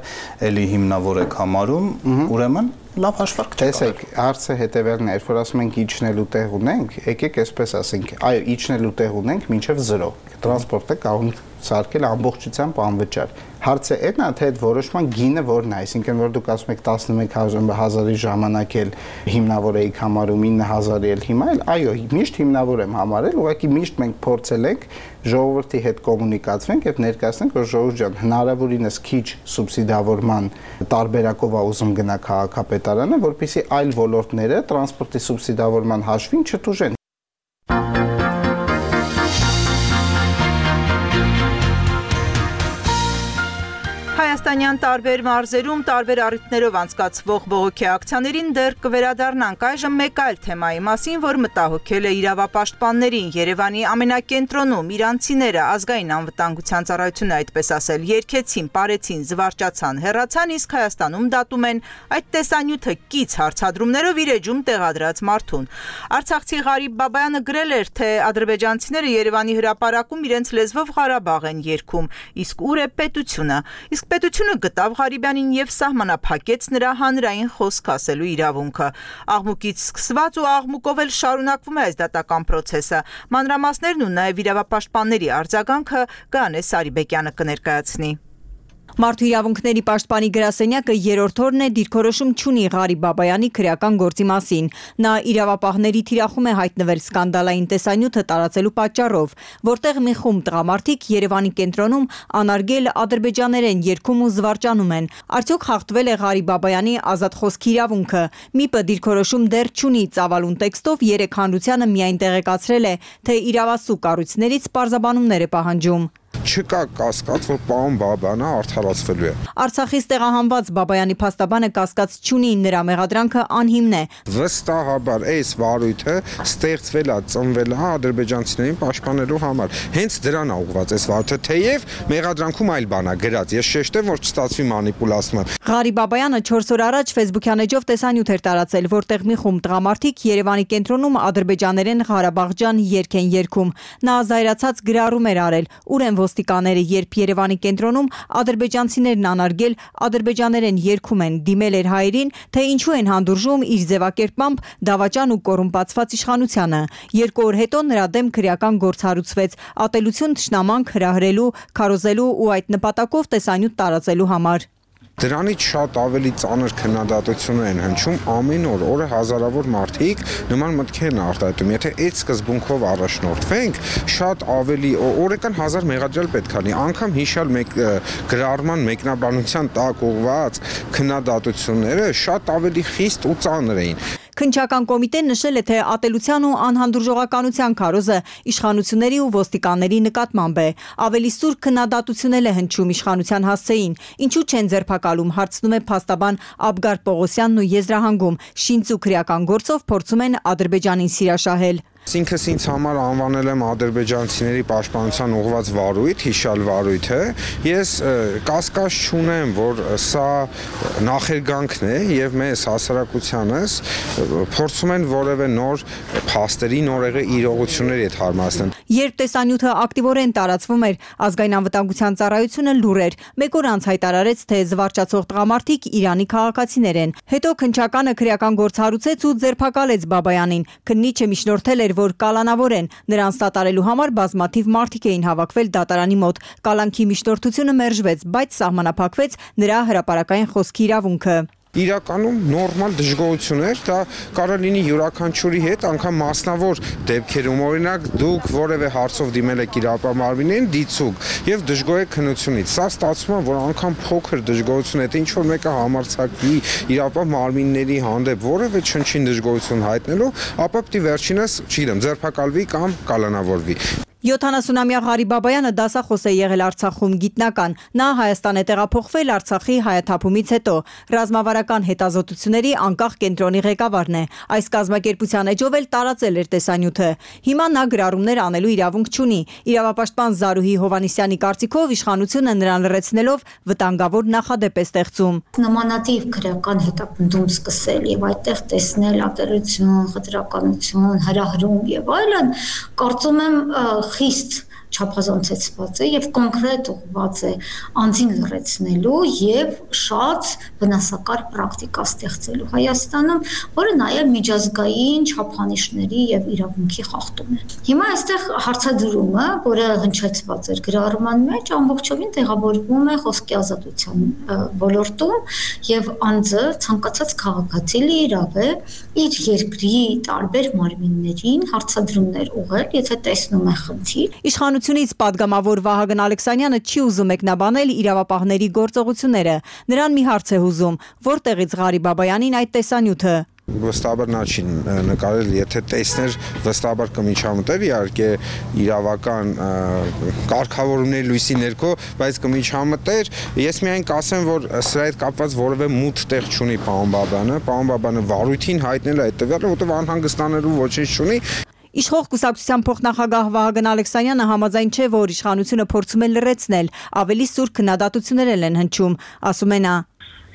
էլի հիմնավոր եք համարում, ուրեմն լավ հաշվարկ չէ։ Տեսեք, հարցը հետեւյալն է, երբ որ ասում ենք իջնելու տեղ ունենք, եկեք այսպես ասենք, այո, իջնելու տեղ ունենք մինչև 0։ Տրանսպորտը կարող սարքել ամբողջությամբ անվճար։ Հարցը այն է, թե այդ որոշման գինը որն է, այսինքն որ դուք ասում եք 11,000-ի ժամանակ էլ հիմնավոր էիք համարում 9,000-ի էլ հիմա էլ, այո, միշտ հիմնավոր եմ համարել, ուղղակի միշտ մենք փորձել ենք ժողովրդի հետ կոմունիկացվենք եւ ներկայացնենք, որ ժողովուրդ ջան, հնարավորինս քիչ սուբսիդավորման տարբերակով է ուզում գնա քաղաքապետարանը, որպեսզի այլ ոլորտները տրանսպորտի սուբսիդավորման հաշվին չտուժեն։ Հայաստանյան տարբեր մարզերում տարբեր առիթներով անցկացվող բողոքի ակցիաներին դեռ կվերադառնանք այժմ մեկ այլ թեմայի մասին, որ մտահոգել է իրավապաշտպաններին։ Երևանի ամենակենտրոնում իրանցիները ազգային անվտանգության ծառայությունը այդպես ասել երգեցին, պարեցին, զվարճացան, հեռացան, իսկ Հայաստանում դատում են այդ տեսանյութը կից հարցադրումներով իր էջում տեղադրած մարդուն։ Արցախցի Ղարիբ Բաբայանը գրել էր, թե ադրբեջանցիները Երևանի հրապարակում իրենց լեզվով Ղարաբաղ են երգում, իսկ ուր է պետությունը։ Իսկ պետությունը գտավ Ղարիբյանին եւ սահմանափակեց նրա հանրային խոսք ասելու իրավունքը։ Աղմուկից սկսված ու աղմուկով էլ շարունակվում է այս դատական process-ը։ Մանրամասներն ու նաեւ իրավապաշտպանների արձագանքը Գանե Սարիբեկյանը կներկայացնի։ Մարդու իրավունքների պաշտպանի գրասենյակը երրորդ օրն է դիրքորոշում չունի Ղարիբ Բաբայանի քրեական գործի մասին։ Նա իրավապահների թիրախում է հայտնվել սկանդալային տեսանյութը տարածելու պատճառով, որտեղ մի խումբ տղամարդիկ Երևանի կենտրոնում անարգել ադրբեջաներեն երգում ու զվարճանում են։ Արդյոք խախտվել է Ղարիբ Բաբայանի ազատ խոսքի իրավունքը։ ՄԻՊ-ը դիրքորոշում դեռ չունի ծավալուն տեքստով, երեք հանրությանը միայն տեղեկացրել է, թե իրավասու կառույցներից պարզաբանումներ է պահանջում։ Չկա կասկած, որ պարոն Բաբայանը արդարացվելու է։ Արցախից տեղահանված Բաբայանի փաստաբանը կասկած չունի, նրա մեղադրանքը անհիմն է։ Վստահաբար այս վարույթը ստեղծվել է, ծնվել է ադրբեջանցիներին պաշտպանելու համար։ Հենց դրան է ուղղված այս վարույթը, թեև մեղադրանքում այլ բան է գրած։ Ես շեշտեմ, որ չստացվի մանիպուլացում։ Ղարիբ Բաբայանը 4 օր առաջ Facebook-յան էջով տեսանյութ էր տարածել, որտեղ մի խումբ տղամարդիկ Երևանի կենտրոնում ադրբեջաներեն Ղարաբաղջան երգ են երգում։ Նա զայրացած գրառում էր արել, ուր են ոստիկանները, երբ Երևանի կենտրոնում ադրբեջանցիներն անարգել ադրբեջաներեն երգում են, դիմել էր հայերին, թե ինչու են հանդուրժում իր ձևակերպմամբ դավաճան ու կոռումպացված իշխանությանը։ 2 օր հետո նրա դեմ քրեական գործ հարուցվեց, ատելություն թշնամանք հրահրելու, քարոզելու ու այդ նպատակով տեսանյութ տարածելու համար։ Դրանից շատ ավելի ծանր քննադատություններ են հնչում ամեն օր, օրը հազարավոր մարդիկ նման մտքեր են արտահայտում։ Եթե այդ սկզբունքով առաջնորդվենք, շատ ավելի օրական 1000 մեղադրյալ պետք է լինի, անգամ հիշալ գրառման մեկնաբանության տակ ուղղված քննադատությունները շատ ավելի խիստ ու ծանր էին։ Քննչական կոմիտեն նշել է, թե ատելության ու անհանդուրժողականության քարոզը իշխանությունների ու ոստիկանների նկատմամբ է։ Ավելի սուր քննադատություն է հնչում իշխանության հասցեին։ Ինչու չեն ձերբակալում, հարցնում է փաստաբան Աբգար Պողոսյանն ու եզրահանգում։ Շինծ ու քրեական գործով փորձում են Ադրբեջանին սիրաշահել։ Ինքս ինձ համար անվանել եմ ադրբեջանցիների պաշտպանության ուղղված վարույթ, հիշալ վարույթը։ Ես կասկած չունեմ, որ սա նախերգանքն է եւ մեզ հասարակությանս փորձում են որևէ նոր փաստերի, նորեղի իրողությունների հետ հարմարեցնել։ Երբ տեսանյութը ակտիվորեն տարածվում էր, ազգային անվտանգության ծառայությունը լուր էր։ Մեկ օր անց հայտարարեց, թե զվարճացող տղամարդիկ Իրանի քաղաքացիներ են։ Հետո քննչականը քրեական գործ հարուցեց ու ձերբակալեց Բաբայանին։ Քննիչը միջնորդել էր, որ կալանավոր են, նրան սատարելու համար բազմաթիվ մարդիկ էին հավաքվել դատարանի մոտ։ Կալանքի միջնորդությունը մերժվեց, բայց սահմանափակվեց նրա հրապարակային խոսքի իրավունքը։ Իրականում նորմալ դժգոհություններ, դա կարող լինի յուրաքանչյուրի հետ, անգամ մասնավոր դեպքերում, օրինակ դուք որևէ հարցով դիմել եք իրավապահներին, դիցուկ եւ դժգոհ եք քննությունից։ Սա ստացվում է, որ անգամ փոքր դժգոհություն է, թե ինչ որ մեկը համարձակվի իրավապահ մարմինների հանդեպ որևէ չնչին դժգոհություն հայտնելու, ապա պիտի վերջինս, չգիտեմ, ձերբակալվի կամ կալանավորվի։ 70-ամյա Ղարիբ Բաբայանը դասախոս է եղել Արցախում, գիտնական։ Նա Հայաստան է տեղափոխվել Արցախի հայաթափումից հետո։ Ռազմավարական հետազոտությունների անկախ կենտրոնի ղեկավարն է։ Այս կազմակերպության էջով էլ տարածել էր տեսանյութը։ Հիմա նա գրառումներ անելու իրավունք չունի։ Իրավապաշտպան Զարուհի Հովանեսյանի կարծիքով իշխանությունը նրան լրացնելով վտանգավոր նախադեպ է ստեղծում։ Նմանատիպ քրեական հետապնդում սկսել եւ այդտեղ տեսնել ատելություն, խտրականություն, հրահրում եւ այլն, կարծում եմ խիստ չափազանցեցված է եւ կոնկրետ ուղղված է անձին լրացնելու եւ շատ վնասակար պրակտիկա ստեղծելու Հայաստանում, որը նաեւ միջազգային չափանիշների եւ իրավունքի խախտում է։ Հիմա այստեղ հարցադրումը, որը հնչեցված էր գրառման մեջ, ամբողջովին տեղավորվում է խոսքի ազատության ոլորտում եւ անձը ցանկացած քաղաքացի լիիրավ է իր երկրի տարբեր մարմիններին հարցադրումներ ուղղել, եթե տեսնում է խնդիր։ Իշխանությունից падգամավոր Վահագն Ալեքսանյանը չի ուզում մեկնաբանել իրավապահների գործողությունները։ Նրան մի հարց է հուզում. որտեղից Ղարիբ Բաբայանին այդ տեսանյութը։ Վստահաբար նա չի նկարել, եթե տեսներ, վստահաբար կմիջամտեր, իհարկե իրավական կարգավորումների լույսի ներքո, բայց կմիջամտեր։ Ես միայն կասեմ, որ սրա հետ կապված որևէ մութ տեղ չունի պարոն Բաբայանը։ Պարոն Բաբայանը վարույթին հայտնել է այդ տվյալը, որտեղ անհանգստանալու ոչինչ չունի։ Իշխող կուսակցության փոխնախագահ Վահագն Ալեքսանյանը համաձայն չէ, որ իշխանությունը փորձում է լրացնել, ավելի սուր քննադատություններ են հնչում, ասում է նա։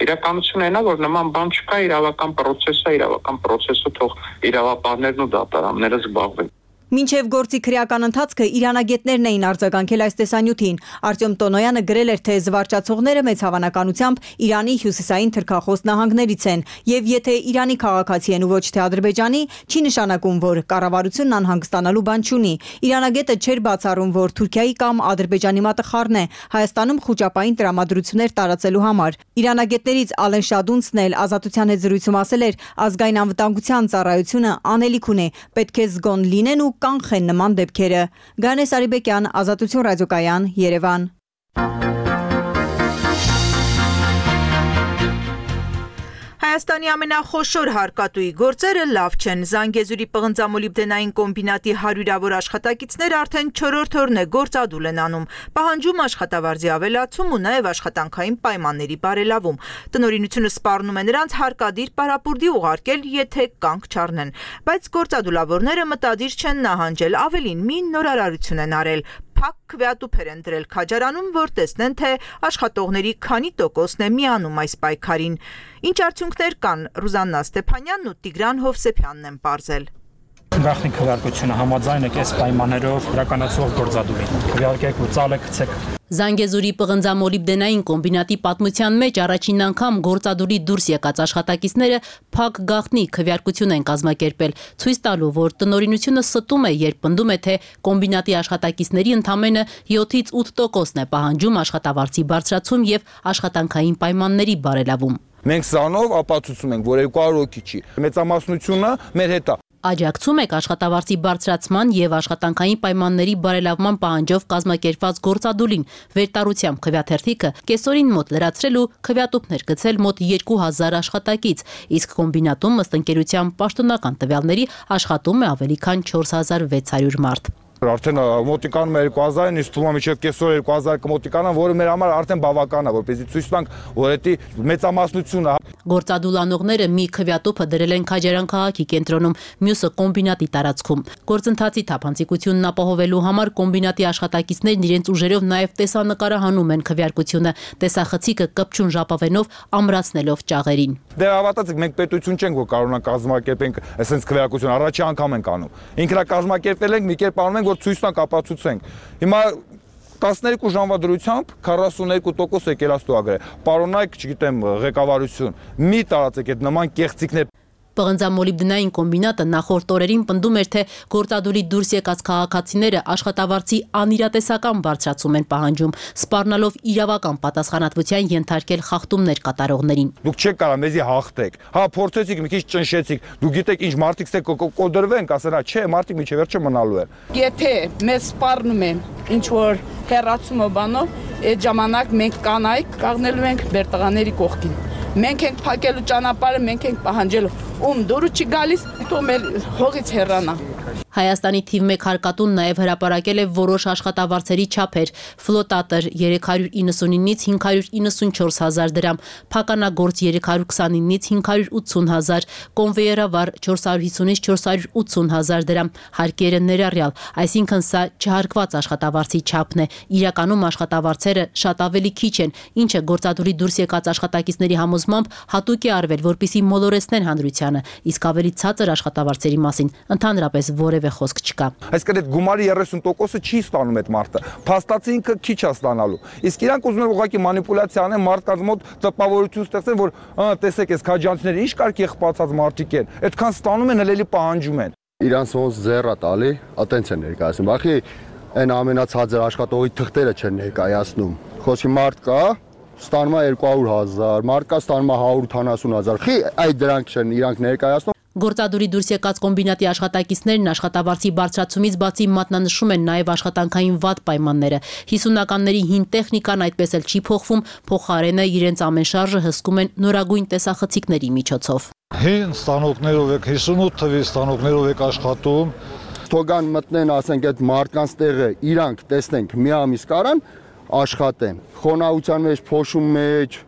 Իրականությունն այն է, որ նման բան չկա, իրավական process-ը թող իրավապահներն ու դատարանները զբաղվեն։ Մինչև գործի քրեական ընթացքը իրանագետներն էին արձագանքել այս տեսանյութին։ Արտյոմ Տոնոյանը գրել էր, թե զվարճացողները մեծ հավանականությամբ Իրանի հյուսիսային թրքախոս նահանգներից են, եւ եթե Իրանի քաղաքացի են ու ոչ թե Ադրբեջանի, չի նշանակում, որ կառավարությունն անհանգստանալու բան չունի։ Իրանագետը չէր բացառում, որ Թուրքիայի կամ Ադրբեջանի մատխառն է Հայաստանում խուճապային տրամադրություններ տարածելու համար։ Իրանագետներից Ալեն Շադունցն էլ Ազատության հետ զրույցում ասել էր, ազգային անվտանգության ծառայությունը անելիք ունի, պետք է զգոն լինեն ու կանխեն նման դեպքերը։ Գանես Արիբեկյան, Ազատություն ռադիոկայան, Երևան։ Հայաստանի ամենախոշոր հարկատուի գործերը լավ չեն։ Զանգեզուրի պղնձամոլիբդենային կոմբինատի հարյուրավոր աշխատակիցները արդեն 4-րդ օրն է գործադուլ են անում, պահանջում աշխատավարձի ավելացում ու նաև աշխատանքային պայմանների բարելավում։ Տնօրինությունը սպառնում է նրանց հարկադիր պարապուրդի ուղարկել, եթե կանգ չառնեն, բայց գործադուլավորները մտադիր չեն նահանջել, ավելին մի նորարարություն են արել։ Փակ քվեատուփեր են դրել քաջարանում, որ տեսնեն, թե աշխատողների քանի տոկոսն է միանում այս պայքարին։ Ինչ արդյունքներ կան, Ռուզաննա Ստեփանյանն ու Տիգրան Հովսեփյանն են պարզել։ Գաղտնի քվեարկությունը համաձայն է այս պայմաններով իրականացվող գործադուլին։ Քվեարկեք ու ծալը գցեք։ Զանգեզուրի պղնձամոլիբդենային կոմբինատի պատմության մեջ առաջին անգամ գործադուլի դուրս եկած աշխատակիցները փակ գաղտնի քվեարկություն են կազմակերպել, ցույց տալու, որ տնօրինությունը ստում է, երբ պնդում է, թե կոմբինատի աշխատակիցների ընդամենը 7-ից 8% է պահանջում աշխատավարձի բարձրացում եւ աշխատանքային պայմանների բարելավում։ Մենք սրանով ապացուցում ենք, որ 200 հոգի չի։ Մեծամասնությունը մեր հետ է։ Աջակցում եք աշխատավարձի բարձրացման եւ աշխատանքային պայմանների բարելավման պահանջով կազմակերպված գործադուլին վերտարությամբ քվեաթերթիկը կեսօրին մոտ լրացրել ու քվեատուփներ գցել մոտ 2000 աշխատակից, իսկ կոմբինատում ըստ ընկերության պաշտոնական տվյալների աշխատում է ավելի քան 4600 մարդ։ Արդեն մոտիկանում է 2000-ին, իսկ թվում է մինչև կեսօր 2000 կմոտիկանան, որը մեր համար արդեն բավական է, որպեսզի ցույց տանք, որ դա մեծամասնությունը։ Գործադուլանողները մի քվեատուփը դրել են Քաջարան քաղաքի կենտրոնում, մյուսը կոմբինատի տարածքում։ Գործընթացի թափանցիկությունն ապահովելու համար կոմբինատի աշխատակիցներն իրենց ուժերով նաև տեսանկարահանում են քվեարկությունը, տեսախցիկը կպչուն ժապավենով ամրացնելով ճաղերին։ Դե հավատացեք, մենք պետություն չենք, որ կարող ենք կազմակերպենք այսպես քվեարկություն, առաջի անգամ ենք անում։ Ինքնա կազմակերպել ենք, մի կերպ անում ենք, որ ցույց տանք, ապացուցենք։ Հիմա 12 ժամվա դրությամբ 42% եկել աստուագրել։ Պարոնայք, չգիտեմ, ղեկավարություն, մի տարածեք այդ նման կեղծիքներ։ Պղնձամոլիբդենային կոմբինատը նախորդ օրերին պնդում էր, թե գործադուլի դուրս եկած քաղաքացիները աշխատավարձի անիրատեսական բարձրացում են պահանջում, սպառնալով իրավական պատասխանատվության ենթարկել խախտումներ կատարողներին։ Դուք չեք կարող մեզի հաղթեք։ Հա, փորձեցիք, մի քիչ ճնշեցիք։ Դուք գիտեք ինչ մարդիկ կոդրվենք, ասեն, չէ, մարդիկ միջև վերջը մնալու են։ Եթե մեզ սպառնում են ինչ որ հերացումը բանով, այդ ժամանակ մենք կանայք կաղնելու ենք մեր տղաների կողքին։ Մենք ենք փակելու ճանապարհը, մենք ենք պահանջելու, ում դուրը չի գալիս, թող մեր հողից հեռանա։ Հայաստանի թիվ 1 հարկատուն նաև հրապարակել է որոշ աշխատավարձերի չափեր՝ ֆլոտատր 399-ից 594 հազար դրամ, փականագործ 329-ից 580 հազար, կոնվեյերավար 450-ից 480 հազար դրամ, հարկերը ներառյալ, այսինքն սա չհարկված աշխատավարձի չափն է։ Իրականում աշխատավարձերը շատ ավելի քիչ են, ինչը գործադուլի դուրս եկած աշխատակիցների համոզմամբ հատուկ է արվել, որպեսզի մոլորեցնեն հանրությանը, իսկ ավելի ցածր աշխատավարձերի մասին ընդհանրապես որևէ խոսք չկա։ Այսինքն այդ գումարի 30%-ը չի ստանում այդ մարդը։ Փաստացի ինքը քիչ է ստանալու։ Իսկ իրանք ուզում են ուղղակի մանիպուլյացիա անեն, մարդկանց մոտ տպավորություն ստեղծեն, որ տեսեք, այս քաջանցիները ինչ կարգ եղբացած մարդիկ են։ Այդքան ստանում են, հելելի պահանջում են։ Իրանց ոնց ձեռա տալի, ատենց են ներկայացնում։ Բախի այն ամենացածր աշխատողի թղթերը չեն ներկայացնում։ Խոսքի մարդ կա, ստանում է 200,000, մարդ կա ստանում է 180,000։ Խի այդ դրանք չեն իրանք ներկայացնում։ Գործադուլի դուրս եկած կոմբինատի աշխատակիցներն աշխատավարձի բարձրացումից բացի մատնանշում են նաև աշխատանքային վատ պայմանները։ 50-ականների հին տեխնիկան այդպես էլ չի փոխվում, փոխարենը իրենց ամեն շարժը հսկում են նորագույն տեսախցիկների միջոցով։ Հին ստանոկներով եք 58 թվի ստանոկներով եք աշխատում։ Թողան մտնեն, ասենք այդ մարդկանց տեղը իրանք տեսնենք մի ամիս կարան աշխատեն։ Խոնավության մեջ, փոշու մեջ,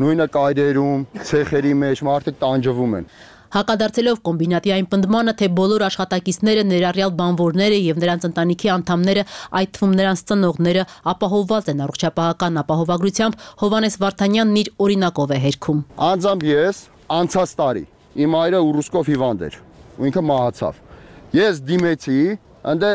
նույնը կայրերում, ցեխերի մեջ մարդիկ տանջվում են։ Հակադարձելով կոմբինատի այն պնդմանը, թե բոլոր աշխատակիցները ներառյալ բանվորները եւ նրանց ընտանիքի անդամները, այդ թվում նրանց ծնողները, ապահովված են առողջապահական ապահովագրությամբ, Հովանես Վարդանյանն իր օրինակով է հերքում։ Անձամբ ես անցած տարի իմ այրը ուրուսկով հիվանդ էր ու ինքը մահացավ։ Ես դիմեցի ընդ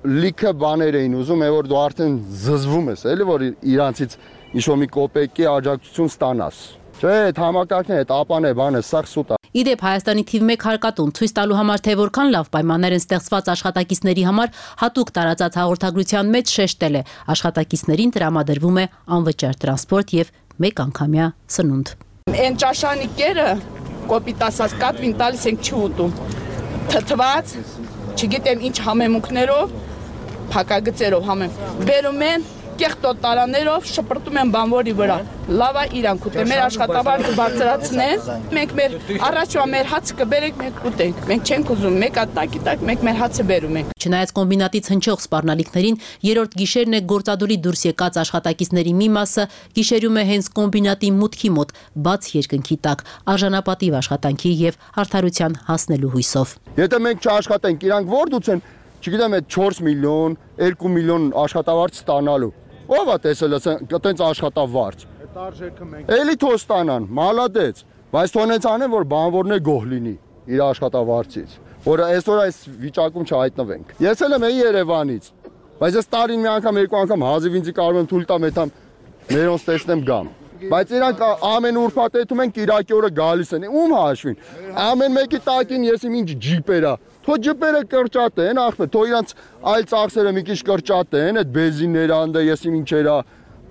լիքը բաներ էին ուզում, որ դու արդեն զզվում ես, էլի որ իրանցից ինչ-որ մի կոպեկի աջակցություն ստանաս։ Չէ, այդ համակարգն է, այդ ապան է, բանը, սա սուտ է։ Իդեպ Հայաստանի թիվ 1 հարկատուն ցույց տալու համար, թե որքան լավ պայմաններ են ստեղծված աշխատակիցների համար, հատուկ տարածած հաղորդագրության մեջ շեշտել է. աշխատակիցներին տրամադրվում է անվճար տրանսպորտ եւ 1 անգամյա սնունդ։ Այն ճաշանիկերը կոպիտ ասած կատվին տալիս ենք չի ուտում։ Թթված, չգիտեմ ինչ համեմունքներով, փակագծերով բերում են կեղտոտ տարաներով շպրտում են բանվորի վրա։ Լավա իրանք ուտեն, մեր աշխատավարձը բարձրացնեն, մենք մեր առաջվա մեր հացը կբերենք, մենք ուտենք։ Մենք չենք ուզում, մեկ ատակի տակ մենք մեր հացը բերում ենք։ Չնայած կոմբինատից հնչող սպառնալիքներին, երրորդ գիշերն է գործադուլի դուրս եկած աշխատակիցների մի մասը գիշերում է հենց կոմբինատի մուտքի մոտ, բաց երկնքի տակ, արժանապատիվ աշխատանքի եւ արդարության հասնելու հույսով։ Եթե մենք չաշխատենք, իրանք ո՞ր դուցեն, չգիտեմ, այդ 4 միլիոն, 2 միլիոն աշխատավարձ ստանալու։ Ո՞վ է տեսել այտենց աշխատավարձ։ Այդ արժեքը մենք էլի թող ստանան, մալադեց, բայց թողնեց անեն, որ բանվորներ գոհ լինի իր աշխատավարձից, որ այսօր այս վիճակում չհայտնվենք։ Ես էլ եմ Երևանից, բայց այս տարին մի անգամ, երկու անգամ հազիվ ինձ կարող եմ թույլ տամ, այդամ մերոնց տեսնեմ գամ։ Բայց իրանք ամեն ուրբաթեթում են Կիրակի օրը գալիս են, ում հաշվին։ Ամեն մեկի տակին ես իմ ինչ ջիպերա։ Թո ջիպերը կրճատեն, ախպետ, թո իրանց այլ ծախսերը մի քիչ կրճատեն, այդ բենզինները անդե ես իմ ինչերա,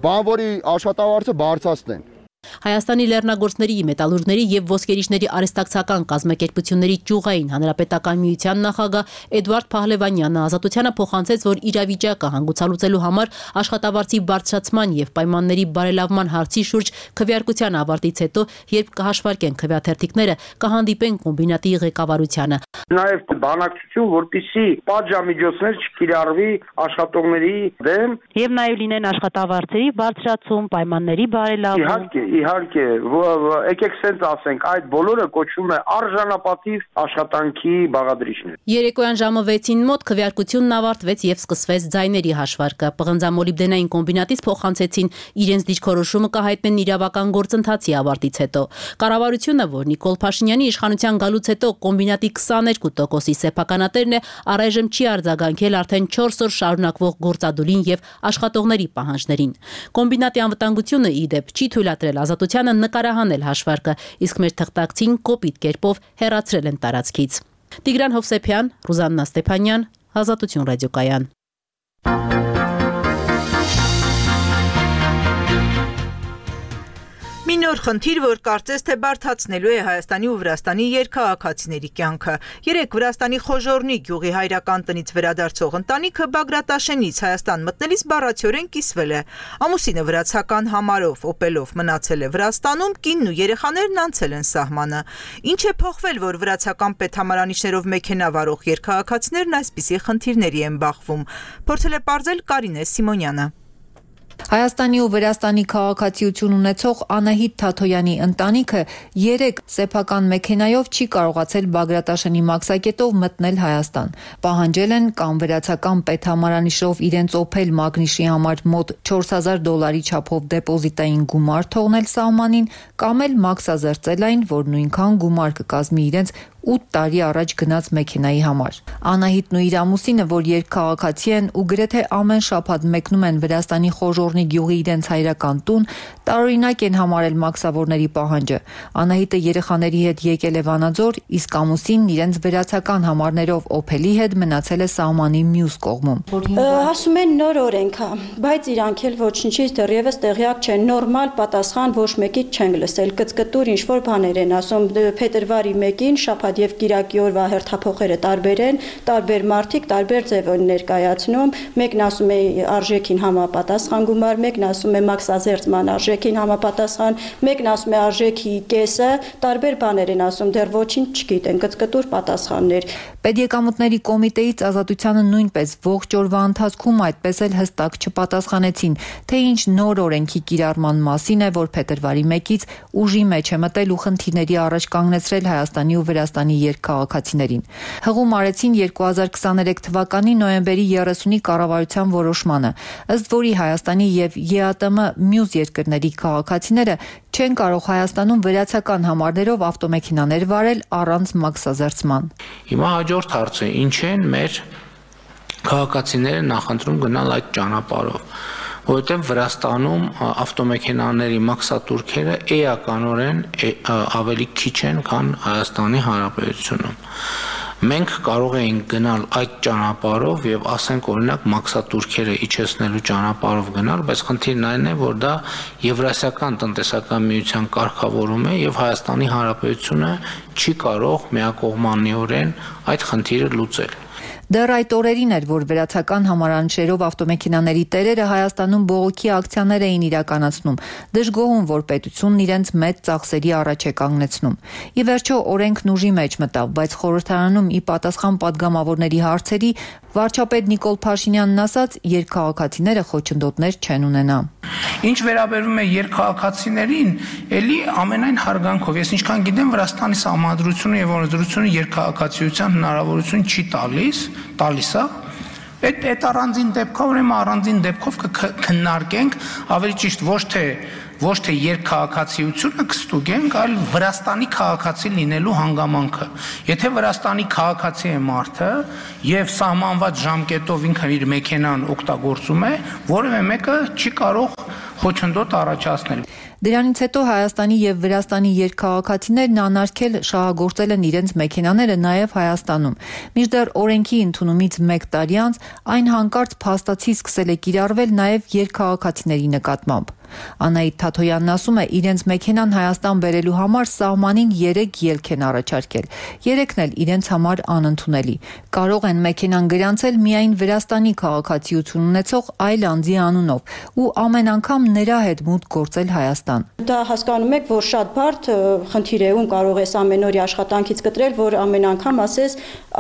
բանվորի աշխատավարձը բարձրացնեն։ Հայաստանի լեռնագործների, մետալուրգների եւ ոսկերիչների արհեստակցական կազմակերպությունների ճյուղային հանրապետական միության նախագահ Էդվարդ Փահլևանյանը ազատությանը փոխանցեց, որ իրավիճակը հանգուցալուծելու համար աշխատավարձի բարձրացման եւ պայմանների բարելավման հարցի շուրջ քվեարկության ավարտից հետո, երբ կհաշվարկեն քվեաթերթիկները, կհանդիպեն կոմբինատի ղեկավարությանը։ Նաեւ բանակցություն, որպեսզի պատժամիջոցներ չկիրառվի աշխատողների դեմ եւ նաեւ լինեն աշխատավարձերի բարձրացում, պայմանների բարելավում։ Իհարկե, եկեք սենց ասենք, այդ բոլորը կոչվում է արժանապատիվ աշխատանքի բաղադրիչներ։ Երեկոյան ժամը 6-ին մոտ քվեարկությունն ավարտվեց եւ սկսվեց ձայների հաշվարկը։ Պղնձամոլիբդենային կոմբինատից փոխանցեցին իրենց դիրքորոշումը կհայտնեն իրավական գործընթացի ավարտից հետո։ Կառավարությունը, որ Նիկոլ Փաշինյանի իշխանության գալուց հետո կոմբինատի 22%-ի սեփականատերն է, առայժմ չի արձագանքել արդեն 4 օր շարունակվող գործադուլին եւ աշխատողների պահանջներին։ Կոմբինատի անվտանգությունը ի դեպ չի թույլատրել ազատությանը նկարահանել հաշվարկը, իսկ մեր թղթակցին կոպիտ կերպով հեռացրել են տարածքից։ Տիգրան Հովսեփյան, Ռուզաննա Ստեփանյան, Ազատություն ռադիոկայան։ Մի նոր խնդիր, որ կարծես թե բարդացնելու է Հայաստանի ու Վրաստանի երկքաղաքացիների կյանքը։ Երեկ Վրաստանի Խոժոռնի գյուղի հայրական տնից վերադարձող ընտանիքը Բագրատաշենից Հայաստան մտնելիս բառացիորեն կիսվել է։ Ամուսինը վրացական համարով օպելով մնացել է Վրաստանում, կինն ու երեխաներն անցել են սահմանը։ Ինչ է փոխվել, որ վրացական պետհամարանիշներով մեքենա վարող երկքաղաքացիներն այսպիսի խնդիրների են բախվում։ Փորձել է պարզել Կարինե Սիմոնյանը։ Հայաստանի ու Վրաստանի քաղաքացիություն ունեցող Անահիտ Թաթոյանի ընտանիքը երեք սեփական մեքենայով չի կարողացել Բագրատաշենի մաքսակետով մտնել Հայաստան։ Պահանջել են կամ վրացական պետհամարանիշով իրենց Opel Magnish-ի համար մոտ $4000 չափով դեպոզիտային գումար թողնել սահմանին, կամ էլ մաքսազերծել այն, որ նույնքան գումար կկազմի իրենց 8 տարի առաջ գնաց մեքենայի համար։ Անահիտն ու իր ամուսինը, որ երկքաղաքացի են ու գրեթե ամեն շաբաթ մեկնում են Վրաստանի Խոժոռնի գյուղի իրենց հայրական տուն, տարօրինակ են համարել մաքսավորների պահանջը։ Անահիտը երեխաների հետ եկել է Վանաձոր, իսկ ամուսինն իրենց վրացական համարներով Opel-ի հետ մնացել է սահմանի մյուս կողմում։ Ասում են նոր օրենք է, բայց իրանք էլ ոչնչից դեռևս տեղյակ չեն, նորմալ պատասխան ոչ մեկից չեն լսել, կծկտուր ինչ-որ բաներ են ասում, փետրվարի 1-ին շաբաթ եւ Կիրակի օրվա հերթափոխերը տարբեր են, տարբեր մարդիկ տարբեր ձև են ներկայացնում, մեկն ասում է արժեքին համապատասխան գումար, մեկն ասում է մաքսազերծման արժեքին համապատասխան, մեկն ասում է արժեքի կեսը, տարբեր բաներ են ասում, դեռ ոչինչ չգիտեն, կծկտուր պատասխաններ։ Պետեկամուտների կոմիտեից ազատությանը նույնպես ողջ օրվա ընթացքում այդպես էլ հստակ չպատասխանեցին, թե ինչ նոր օրենքի կիրառման մասին է, որ փետրվարի 1-ից ուժի մեջ է մտել ու խնդիրների առաջ կանգնեցրել Հայաստանի ու Վրաստանի երկքաղաքացիներին։ Հղում արեցին 2023 թվականի նոյեմբերի 30-ի կառավարության որոշմանը, ըստ որի Հայաստանի եւ ԵԱՏՄ մյուս երկրների քաղաքացիները չեն կարող Հայաստանում վրացական համարներով ավտոմեքենաներ վարել առանց մաքսազերծման։ Հիմա հաջորդ հարցը, ինչ են մեր քաղաքացիները նախընտրում գնալ այդ ճանապարհով, որովհետև Վրաստանում ավտոմեքենաների մաքսատուրքերը էականորեն ավելի քիչ են, քան Հայաստանի Հանրապետությունում։ Մենք կարող էինք գնալ այդ ճանապարհով եւ ասենք օրինակ մաքսատուրքերը իջեցնելու ճանապարհով գնալ, բայց խնդիրն այն է, որ դա Եվրասիական տնտեսական միության կարգավորում է եւ Հայաստանի Հանրապետությունը չի կարող միակողմանիորեն այդ խնդիրը լուծել։ Դեռ այդ օրերին էր, որ վերացական համարանշերով ավտոմեքենաների տերերը Հայաստանում բողոքի ակցիաներ էին իրականացնում, դժգոհում, որ պետությունն իրենց մեծ ծախսերի առաջ է կանգնեցնում։ Ի վերջո օրենքն ուժի մեջ մտավ, բայց խորհրդարանում ի պատասխան падգամավորների հարցերի վարչապետ Նիկոլ Փաշինյանն ասաց, երկքաղաքացիները խոչընդոտներ չեն ունենա։ Ինչ վերաբերում է երկքաղաքացիներին, ելի ամենայն հարգանքով, ես ինչքան գիտեմ, Վրաստանի սահմանադրությունը եւ օրենսդրությունը երկքաղաքացիության հնարավորություն չի տալիս է։ Այդ առանձին դեպքով, ուրեմն առանձին դեպքով կքննարկենք, ավելի ճիշտ ոչ թե երկքաղաքացիությունը կստուգենք, այլ Վրաստանի քաղաքացի լինելու հանգամանքը։ Եթե Վրաստանի քաղաքացի է մարդը եւ սահմանված ժամկետով ինքը իր մեքենան օգտագործում է, որևէ մեկը չի կարող խոչընդոտ առաջացնել։ Դրանից հետո Հայաստանի եւ Վրաստանի երկքաղաքացիներն անարգել շահագործել են իրենց մեքենաները նաեւ Հայաստանում։ Մինչդեռ օրենքի ընդունումից 1 տարի անց այն հանկարծ փաստացի սկսել է կիրառվել նաեւ երկքաղաքացիների նկատմամբ։ Անահիտ Թաթոյանն ասում է, իրենց մեքենան Հայաստան բերելու համար սահմանին 3 ելք են առաջարկել։ 3-ն էլ իրենց համար անընդունելի։ Կարող են մեքենան գրանցել միայն Վրաստանի քաղաքացիություն ունեցող այլ անձի անունով ու ամեն անգամ նրա հետ մուտք գործել Հայաստան։ Դա հասկանում եք, որ շատ բարդ խնդիր է, ում կարող ես ամեն օրի աշխատանքից կտրել, որ ամեն անգամ ասես,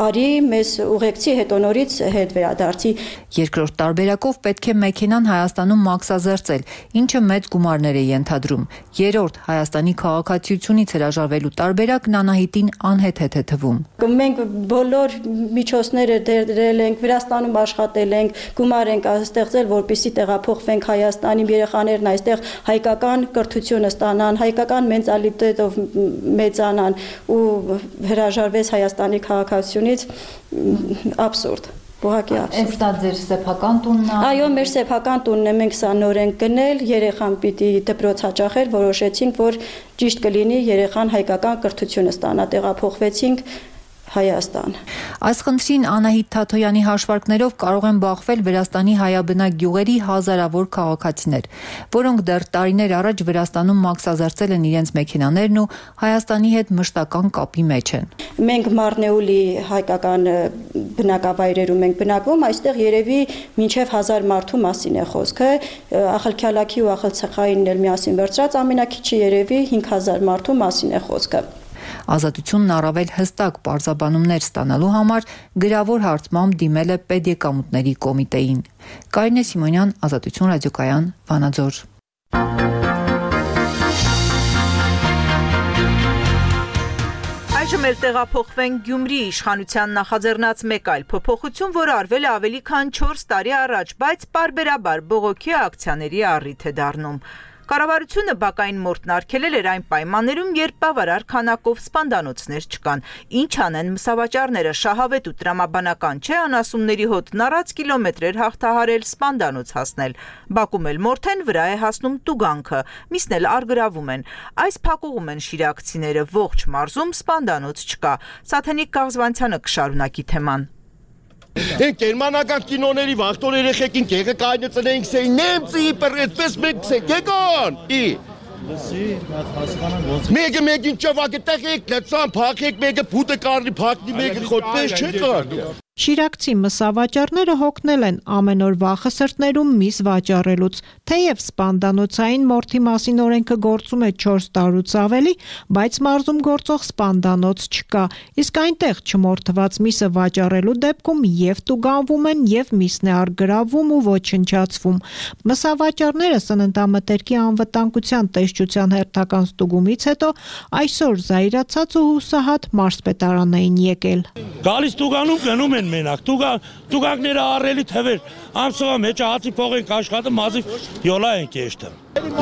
արի մեզ ուղեկցի, հետո նորից հետ վերադարձի։ Երկրորդ տարբերակով պետք է մեքենան Հայաստանում մաքսազերծել, ինչը մեծ գումարներ է ենթադրում։ Երրորդ Հայաստանի քաղաքացիությունից հրաժարվելու տարբերակն Անահիտին անհեթեթ է թվում։ Մենք բոլոր միջոցները դրել ենք, Վրաստանում աշխատել ենք, գումար ենք ստեղծել, որպեսզի տեղափոխվենք Հայաստանի, երեխաներն այստեղ հայկական կրթությունը ստանան, հայկական մենտալիտետով մեծանան ու հրաժարվեց Հայաստանի քաղաքացիությունից աբսուրդ։ Այս դա ձեր սեփական տունն է։ Այո, մեր սեփական տունն է, մենք սա նոր ենք գնել, երեխան պիտի դպրոց հաճախել, որոշեցինք, որ ճիշտ կլինի երեխան հայկական կրթությունը ստանա, տեղափոխվեցինք Հայաստան։ Այս խնդրին Անահիտ Թաթոյանի հաշվարկներով կարող են բախվել Վրաստանի հայաբնակ գյուղերի հազարավոր քաղաքացիներ, որոնք դեռ տարիներ առաջ Վրաստանում մաքսազերծել են իրենց մեքենաներն ու Հայաստանի հետ մշտական կապի մեջ են։ Մենք Մարնեուլի հայկական բնակավայրերում ենք բնակվում, այստեղ երևի մինչև 1000 մարդու մասին է խոսքը, Ախալքյալաքի ու Ախալցեխայինն էլ միասին վերցրած ամենակիչը երևի 5000 մարդու մասին է խոսքը։ Ազատությունն առավել հստակ պարզաբանումներ ստանալու համար գրավոր հարցմամբ դիմել է Պետեկամուտների կոմիտեին։ Կարինե Սիմոնյան, Ազատություն ռադիոկայան, Վանաձոր։ Այժմ էլ տեղափոխվենք Գյումրի իշխանության նախաձեռնած մեկ այլ փոփոխություն, որը արվել է ավելի քան 4 տարի առաջ, բայց պարբերաբար բողոքի ակցիաների առիթ է դառնում։ Կառավարությունը բակային մորթն արգելել էր այն պայմաններում, երբ բավարար քանակով սպանդանոցներ չկան։ Ինչ անեն մսավաճառները, շահավետ ու տրամաբանական չէ անասունների հոտն առած կիլոմետրեր հաղթահարել սպանդանոց հասնել։ Բակում էլ մորթեն վրա է հասնում տուգանքը, միսն էլ արգրավում են։ Այս փակուղում են շիրակցիները, ողջ մարզում սպանդանոց չկա։ Սաթենիկ Կաղզվանցյանը կշարունակի թեման։ Են գերմանական կինոների վախտոր երեխեքին կեղը կայնեցնեինք սեի նեմցի իպր այդպես մենք սեք եկան լսի հասկանան ոնց մեկին ճավակը տեղեք լցան փակեք մեկը փուտը կարնի փակնի մեկը խոտպես չի կարնի Շիրակցի մսավաճառները հոգնել են ամեն օր վախը սրտներում միս վաճառելուց, թեև սպանդանոցային մորթի մասին օրենքը գործում է 4 տարուց ավելի, բայց մարզում գործող սպանդանոց չկա, իսկ այնտեղ չմորթված միսը վաճառելու դեպքում եւ տուգանվում են եւ միսն է արգրավում ու ոչնչացվում։ Մսավաճառները սննդամթերքի անվտանգության տեսչության հերթական ստուգումից հետո այսօր զայրացած ու հուսահատ մարզպետարան էին եկել։ Գալիս տուգանում գնում են մենակ, տուգանքները առելի թվեր, ամսովա մեջ հացի փող ենք աշխատում, մազիվ յոլա ենք եշտը։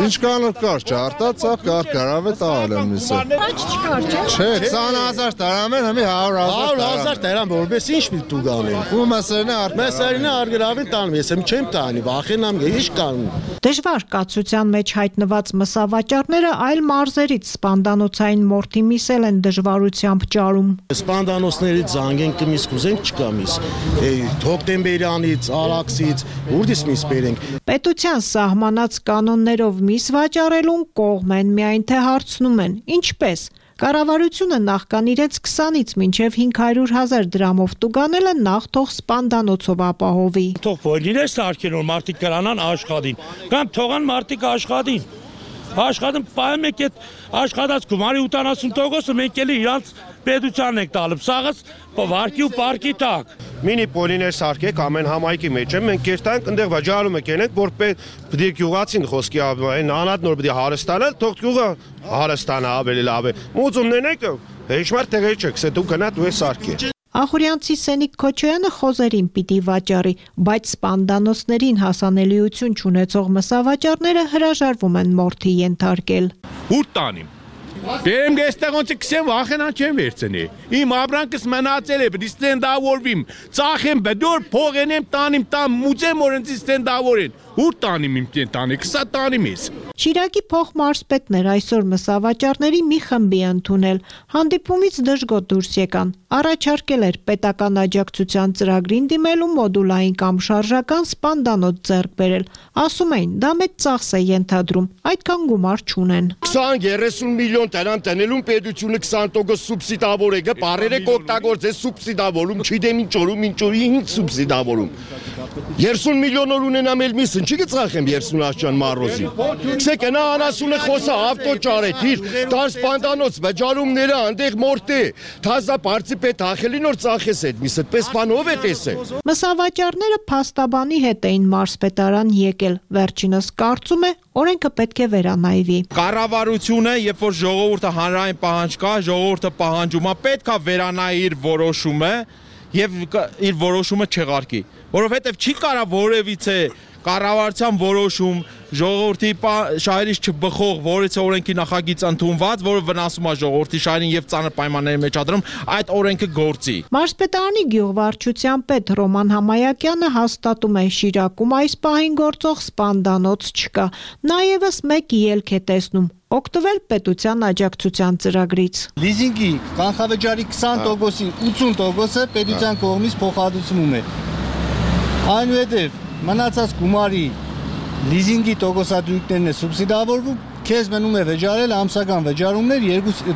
Ինչ կանոր կար, չարտած, կար, կարավ է տալ եմ միսը։ Ոչ չկար, չէ։ Չէ, 20,000 տարամ են, հմի 100,000 տարամ, որպես ինչ մի դու գանեն։ Ու Մեսերինը արգրավին տանում, ես չեմ տանի, վախենամ, ինչ կանում։ Դժվար կացության մեջ հայտնված մսավաճառները այլ մարզերից սպանդանոցային մորթի միսել են դժվարությամբ ճարում։ Սպանդանոցներից զանգենք կմիս կուզենք չկամիս։ Հոկտեմբերյանից, Արաքսից, ուրդից միս բերենք։ Պետության սահմանած կանոններով միս վաճառելուն կողմ են, միայն թե հարցնում են՝ ինչպես։ Կառավարությունը նախքան իրենց 20-ից մինչև 500,000 դրամով տուգանելը նախ թող սպանդանոցով ապահովի։ Թող բոլորը սարքեն, որ մարդիկ կրանան աշխատին, կամ թողան մարդիկ աշխատին։ Աշխատում պայեմ եք այդ աշխատած գումարի 80%-ը մենք էլի իրանց պետությանն ենք տալում, սաղս վարկի ու պարկի տակ։ Մինի պոլիներ սարքեք ամեն համայնքի մեջ եմ, մենք կերտանք, ընդեղ վաճառում եք ենենք, որ պետք է գյուղացին խոսքի այն անատ նոր պետք է հարստանալ, թող գյուղը հարստանա ավելի լավ է։ Մուծումներն եք, հեշմար տեղեր չեք, սա դու գնա դու ես սարքի։ Ախուրյանցի Սենիկ Քոչոյանը խոզերին պիտի վաճառի, բայց սպանդանոցներին հասանելիություն չունեցող մսավաճառները հրաժարվում են մորթի ենթարկել։ Ուր տանիմ։ Դեմ գեստեղոնցը քսեմ վախենան չեմ վերցնի։ Իմ ապրանքս մնացել է, պիտի ստենդավորվիմ։ Ծախեմ բդոր, փողենեմ, տանիմ, մուծեմ օրենցի ստենդավորեն։ Ուր տանիմ իմ տանի, քսա տանիմ ես։ Շիրակի փոխմարզպետն էր այսօր մսավաճառների մի խմբի ընդունել։ Հանդիպումից դժգոհ դուրս եկան։ Առաջարկել էր պետական աջակցության ծրագրին դիմելու մոդուլային կամ շարժական սպանդանոց ձեռք բերել։ Ասում էին, դա մեծ ծախս է ենթադրում, այդքան գումար չունեն։ 20-30 միլիոն տանան տնելուն պետությունը 20% սուբսիդավոր է, բարերը կօգտագործե սուբսիդավորում, չգիտեմ ինչ օրում, ինչ օրի ինչ սուբսիդավորում։ 30 միլիոն ունենամ էլ միսն, չի գծախեմ 30 աշճան մարոզի։ Քսեք նա անասունը խոսա ավտո ճարեթիր, տար սպանդանոց վճարումները այնտեղ մորտե, թազա բարձի պետ ախելի նոր ծախես այդ միս, այդպես բան ով է տեսել։ Մսավաճառները փաստաբանի հետ էին մարզպետարան եկել, վերջինս կարծում է օրենքը պետք է վերանայվի։ Կառավարությունը, երբ որ ժողովուրդը հանրային պահանջ կա, ժողովուրդը պահանջում է, պետք է վերանայի իր որոշումը եւ իր որոշումը չեղարկի, որովհետեւ չի կարա որևիցե կառավարության որոշում ժողովրդի շահերից չբխող որից օրենքի նախագիծ ընդունված, որը վնասում է ժողովրդի շահերին եւ ծանր պայմանների մեջ ադրում, այդ օրենքը գործի։ Մարզպետարանի գյուղվարչության պետ Ռոման Համայակյանը հաստատում է Շիրակում այս պահին գործող սպանդանոց չկա։ Նաեւս մեկ ելք է տեսնում օգտվել պետության աջակցության ծրագրից։ Լիզինգի կանխավճարի 20%-ի 80%-ը պետության կողմից փոխհատուցվում է։ Այնուհետև մնացած գումարի լիզինգի տոկոսադրույքներն է սուբսիդավորվում, քեզ մնում է վճարել ամսական վճարումներ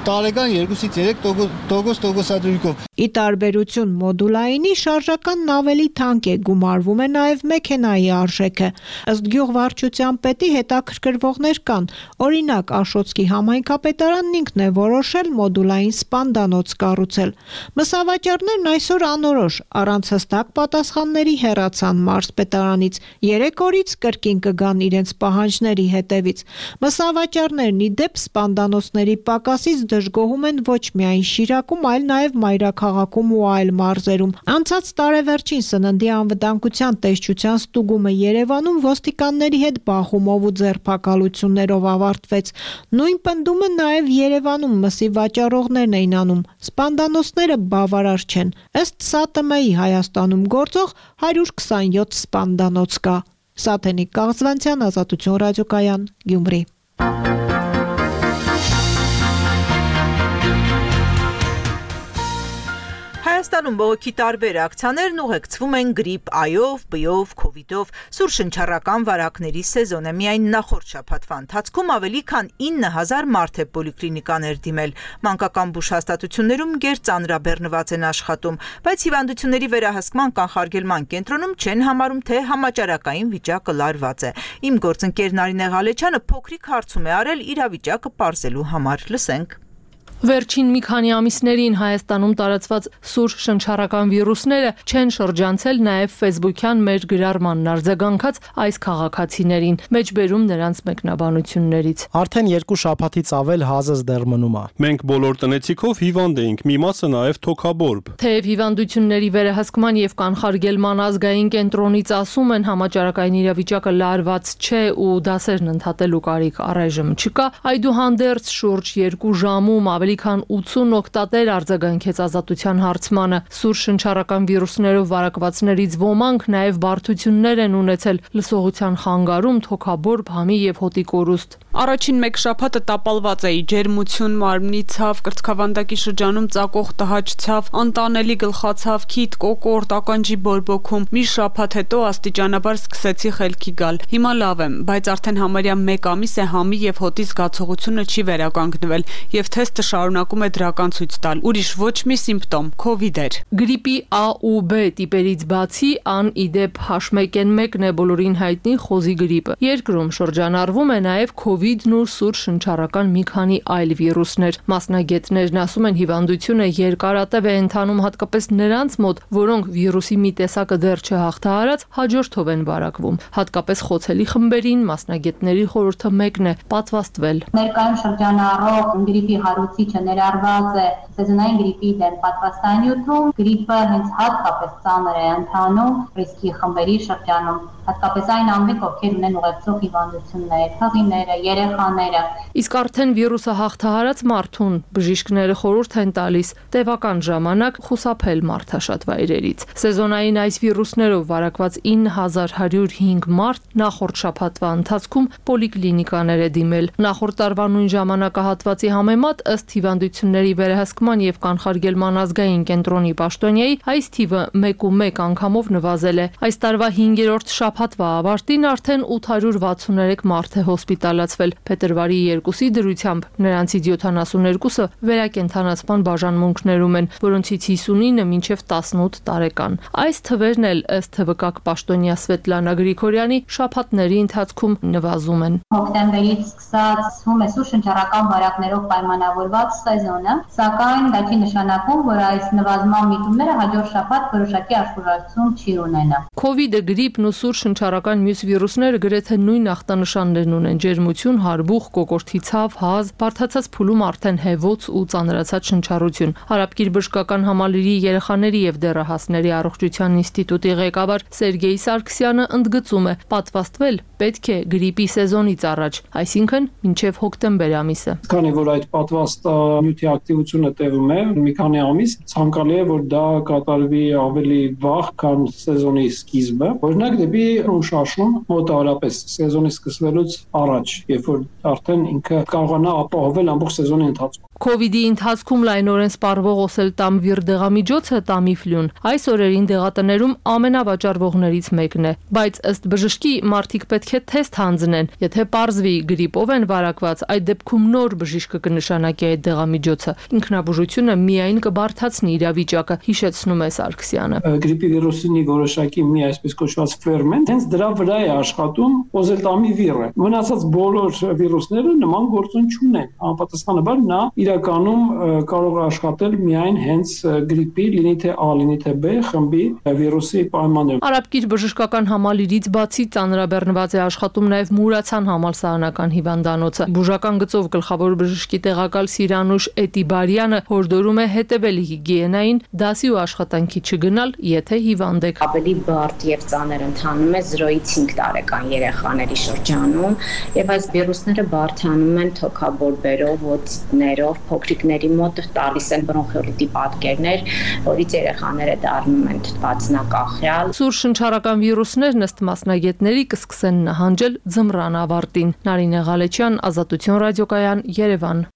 տարեկան 2-ից 3% տոկոսադրույքով։ Ի տարբերություն մոդուլայինի շարժականն ավելի թանկ է, գումարվում է նաև մեքենայի արժեքը։ Ըստ գյուղվարչության պետի հետաքրքրվողներ կան, օրինակ Աշոտսկի համայնքապետարանն ինքն է որոշել մոդուլային սպանդանոց կառուցել։ Մսավաճառներն այսօր անորոշ առանց հստակ պատասխանների հեռացան մարզպետարանից, 3 օրից կրկին կգան իրենց պահանջների հետևից։ Մսավաճառներն ի դեպ սպանդանոցների պակասից դժգոհում են ոչ միայն Շիրակում, այլ նաև Մայրաքաղաքում ու այլ մարզերում։ Անցած տարեվերջին սննդի անվտանգության տեսչության ստուգումը Երևանում ոստիկանների հետ բախումով ու ձերբակալություններով ավարտվեց։ Նույն պնդումը նաև Երևանում մսի վաճառողներն էին անում։ Սպանդանոցները բավարար չեն։ Ըստ ՍԱՏՄ-ի Հայաստանում գործող 127 սպանդանոց կա։ Սաթենիկ Կաղզվանցյան, Ազատություն ռադիոկայան, Գյումրի։ Հայաստանում բողոքի տարբեր ակցիաներն ուղեկցվում են գրիպ A-ով, B-ով, COVID-ով, սուր շնչառական վարակների սեզոն է։ Միայն նախորդ շաբաթվա ընթացքում ավելի քան 9000 մարդ է պոլիկլինիկաներ դիմել։ Մանկական բուժ հաստատություններում գերծանրաբեռնված են աշխատում, բայց հիվանդությունների վերահսկման կանխարգելման կենտրոնում չեն համարում, թե համաճարակային վիճակը լարված է։ Իմ գործընկեր Նարինե Ղալեչյանը փոքրիկ հարցում է արել իրավիճակը պարզելու համար։ Լսենք։ Վերջին մի քանի ամիսներին Հայաստանում տարածված սուր շնչառական վիրուսները չեն շրջանցել նաև Facebook-յան մեր գրառմանն արձագանքած այս քաղաքացիներին, մեջբերում նրանց մեկնաբանություններից։ Արդեն 2 շաբաթից ավել հազս դեռ մնում է։ Մենք բոլոր տնեցիքով հիվանդ էինք, մի մասը նաև թոքաբորբ։ Թեև հիվանդությունների վերահսկման եւ կանխարգելման ազգային կենտրոնից ասում են համաճարակային իրավիճակը լարված չէ ու դասերն ընդհատելու կարիք առայժմ չկա, այդուհանդերձ շուրջ 2 ժամում ավելի քան 80 օգտատեր արձագանքեց ազատության հարցմանը։ Սուր շնչառական վիրուսներով վարակվածներից ոմանք նաև բարդություններ են ունեցել լսողության խանգարում, թոքաբորբ, համի եւ հոտի կորուստ։ Առաջին մեկ շաբաթը տապալված էի, ջերմություն, մարմնի ցավ, կրծքավանդակի շրջանում ծակող տհաճ ցավ, անտանելի գլխացավ, քիթ, կոկորտ, ականջի բորբոքում։ Մի շաբաթ հետո աստիճանաբար սկսեցի խելքի գալ։ Հիմա լավ եմ, բայց արդեն համարյա 1 ամիս է համի եւ հոտի զգացողությունը չի վերականգնվել եւ թեստը շարունակում է դրական ցույց տալ։ Ուրիշ ոչ մի սիմպտոմ, COVID էր։ Գրիպի A ու B տիպերից բացի ան իդեպ H1N1-ն է բոլորին հայտնի խոզի գրիպը։ Երկրում շրջանառվում է նաև COVID-ն ու սուր շնչառական մի քանի այլ վիրուսներ։ Մասնագետներն ասում են հիվանդությունը երկարատև է ընթանում հատկապես նրանց մոտ, որոնք վիրուսի մի տեսակը դեռ չհաղթահարած հաջորդով են վարակվում։ Հատկապես խոցելի խմբերին մասնագետների խորհուրդը մեկն է՝ պատվաստվել։ Ներկայում շրջանառող գրիպի հարուցիչը ներառված է սեզոնային գրիպի դեմ պատվաստանյութում, գրիպը հենց հատկապես ծանր է ընթանում ռիսկի խմբերի շրջանում, հատկապես այն անձինք, ովքեր ունեն ուղեկցող հիվանդություններ, հղիները, երեխաները։ Իսկ արդեն վիրուսը հաղթահարած մարդուն բժիշկները խորհուրդ են տալիս տևական ժամանակ խուսափել մարդաշատ վայրերից։ Սեզոնային այս վիրուսներով վարակված 9105 մարդ նախորդ շաբաթվա ընթացքում պոլիկլինիկաներ է դիմել։ Նախորդ տարվա նույն ժամանակահատվածի համեմատ ըստ հիվանդությունների վերահսկման եւ կանխարգելման ազգային կենտրոնի պաշտոնյայի այս թիվը 1.1 անգամով նվազել է։ Այս տարվա 5-րդ շաբաթվա ավարտին արդեն 863 մարդ է հոսպիտալացվել։ Փետրվարի 2-ի դրությամբ նրանցից 72-ը վերակենդանացման բաժանմունքներում են, որոնցից 59-ը մինչև 18 տարեկան։ Այս թվերն էլ ըստ ՀՎԿ պաշտոնյա Սվետլանա Գրիգորյանի շաբաթների ընթացքում նվազում են։ Հոկտեմբերից սկսած սկսվում է սուր շնչառական վարակներով պայմանավորված սեզոնը, սակայն դա չի նշանակում, որ այս նվազման միտումները հաջորդ շաբաթ որոշակի աշխուժացում չի ունենա։ COVID-ը, գրիպն ու սուր շնչառական մյուս վիրուսները գրեթե նույն ախտանշաններն ունեն՝ ջերմություն, հարբուխ, կոկորդի ցավ, հազ, բարդացած փուլում արդեն հեվոց ու ծանրացած շնչառություն։ Հարաբկիր բժշկական համալիրի երեխաների եւ դեռահասների առողջության ինստիտուտի ղեկավար Սերգեյ Սարգսյանը ընդգծում է, պատվաստվել պետք է գրիպի սեզոնից առաջ, այսինքն մինչև հոկտեմբեր ամիսը։ Քանի որ այդ պատվաստանյութի ակտիվությունը տևում է մի քանի ամիս, ցանկալի է որ դա կատարվի ավելի վաղ, քան սեզոնի սկիզբը, օրինակ դեպի ուշաշուն մոտավորապես սեզոնի սկսվելուց առաջ, երբ որ արդեն ինքը կարողանա ապահովել ամբողջ սեզոնի ընթացքում։ COVID-ի ընթացքում լայնորեն սպառվող օսելտամվիր դեղամիջոցը Տամիֆլուն այս օրերին դեղատներում ամենավաճառվողներից մեկն է, բայց ըստ բժշկի մարդիկ պետք է թեստ հանձնեն, եթե պարզվի գրիպով են վարակված, այդ դեպքում նոր բժիշկը կնշանակի այդ դեղամիջոցը։ Ինքնաբուժությունը միայն կբարդացնի իրավիճակը, հիշեցնում է Սարգսյանը։ Գրիպի վիրուսի որոշակի մի այսպես կոչված ֆերմենտ, հենց դրա վրա է աշխատում օսելտամիվիրը։ Մնացած բոլոր վիրուսները նման գործոն չունեն։ Անպատասխանաբար նա իրականում կարող է աշխատել միայն հենց գրիպի, լինի թե A, լինի թե B խմբի վիրուսի պայմաններում։ Արաբկիր բժշկական համալիրից բացի ծանրաբեռնված է աշխատում նաև Մուրացան համալսարանական հիվանդանոցը։ Բուժական գծով գլխավոր բժշկի տեղակալ Սիրանուշ Էտիբարյանը հորդորում է հետևել հիգիենային, դասի ու աշխատանքի չգնալ, եթե հիվանդ եք։ Ավելի բարդ եւ ծանր ընթանում է 0-ից 5 տարեկան երեխաների շրջանում, եւ այս վիրուսները բարդանում են թոքաբորբերով, օտիտներով, փոքրիկների մոտ տալիս են բրոնխոլիտի պատկերներ, որից երեխաները դառնում են թթվածնակախյալ։ Սուր շնչառական վիրուսներն ըստ մասնագետների կսկսեն նահանջել ձմռան ավարտին։ Նարինե Ղալեչյան, Ազատություն ռադիոկայան, Երևան։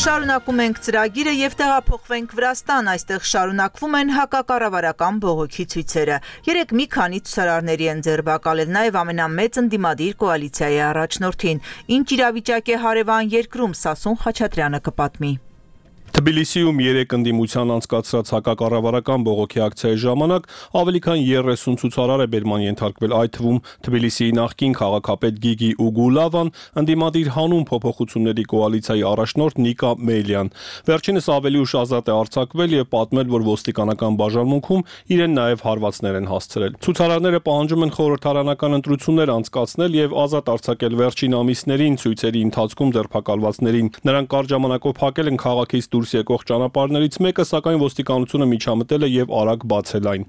Շարունակում ենք ծրագիրը եւ տեղափոխվենք Վրաստան, այստեղ շարունակվում են հակակառավարական բողոքի ցույցերը։ Երեք մի քանի ցուցարարների են ձերբակալել նաեւ ամենամեծ ընդդիմադիր կոալիցիայի առաջնորդին։ Ինչ իրավիճակ է հարևան երկրում, Սասուն Խաչատրյանը կպատմի։ Թբիլիսիում 3 ընդդիմության անցկացրած հակակառավարական բողոքի ակցիայի ժամանակ ավելի քան 30 ցուցարար է բերման ենթարկվել, այդ թվում Թբիլիսիի նախկին քաղաքապետ Գիգի Ուգուլավան, ընդդիմադիր հանուն փոփոխությունների կոալիցիայի առաջնորդ Նիկա Մեյլյան։ Վերջինս ավելի ուշ ազատ է արձակվել եւ պատմել, որ ոստիկանական բաժանմունքում իրեն նաեւ հարվածներ են հասցրել։ Ցուցարարները պահանջում են խորհրդարանական ընտրություններ անցկացնել եւ ազատ արձակել վերջին ամիսներին ցույցերի ընթացքում ձերբակալվածներին։ Նրանք կարճ ժամանակով փակել են քաղաքից դուրս եկող ճանապարհներից մեկը, սակայն ոստիկանությունը միջամտել է եւ արագ բացել այն։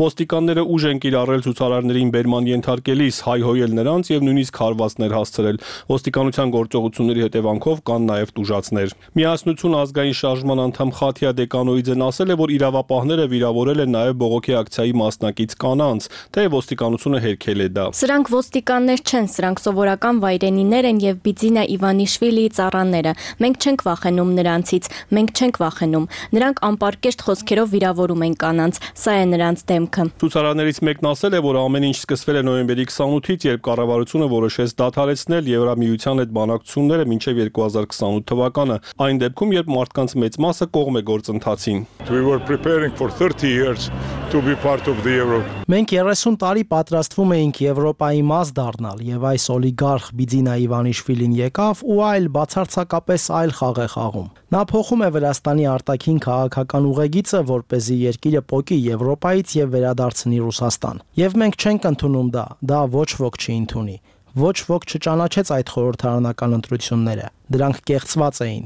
Ոստիկանները ուժ են կիրառել ցուցարարներին բերման ենթարկելիս, հայհոյել նրանց եւ նույնիսկ հարվածներ հասցրել։ Ոստիկանության գործողությունների հետևանքով կան նաեւ տուժածներ։ Միասնություն ազգային շարժման անդամ Խաթիա Դեկանոիձեն ասել է, որ իրավապահները վիրավորել են նաեւ բողոքի ակցիայի մասնակից կանանց, թե ոստիկանությունը հերքել է դա։ Սրանք ոստիկաններ չեն, սրանք սովորական վայրենիներ են եւ Բիձինա Իվանիշվիլիի ծառաները։ Մենք չենք վախենում նրանցից, մենք չենք վախենում։ Նրանք անպարկեշտ խոսքերով վիրավորում են կանանց, սա է նրանց դեմքը։ Ցուցարարներից մեկն ասել է, որ ամեն ինչ սկսվել է նոյեմբերի 28-ից, երբ կառավարությունը որոշեց դադարեցնել Եվրամիության հետ բանակցությունները մինչև 2028 թվականը, այն դեպքում, երբ մարդկանց մեծ մասը կողմ է գործընթացին։ Մենք 30 տարի պատրաստվում էինք Եվրոպայի մաս դառնալ, եւ այս օլիգարխ Բիձինա Իվանիշվիլին եկավ ու այլ բացարձակապես այլ խաղ է խաղում։ Նա փոխում է Վրաստանի արտաքին քաղաքական ուղեգիծը, որպեսզի երկիրը պոկի Եվրոպայից եւ վերադարձնի Ռուսաստան։ Եվ մենք չենք ընդունում դա ոչ ոք չի ընդունի։ Ոչ ոք չճանաչեց այդ խորհրդարանական ընտրությունները։ Դրանք կեղծված էին։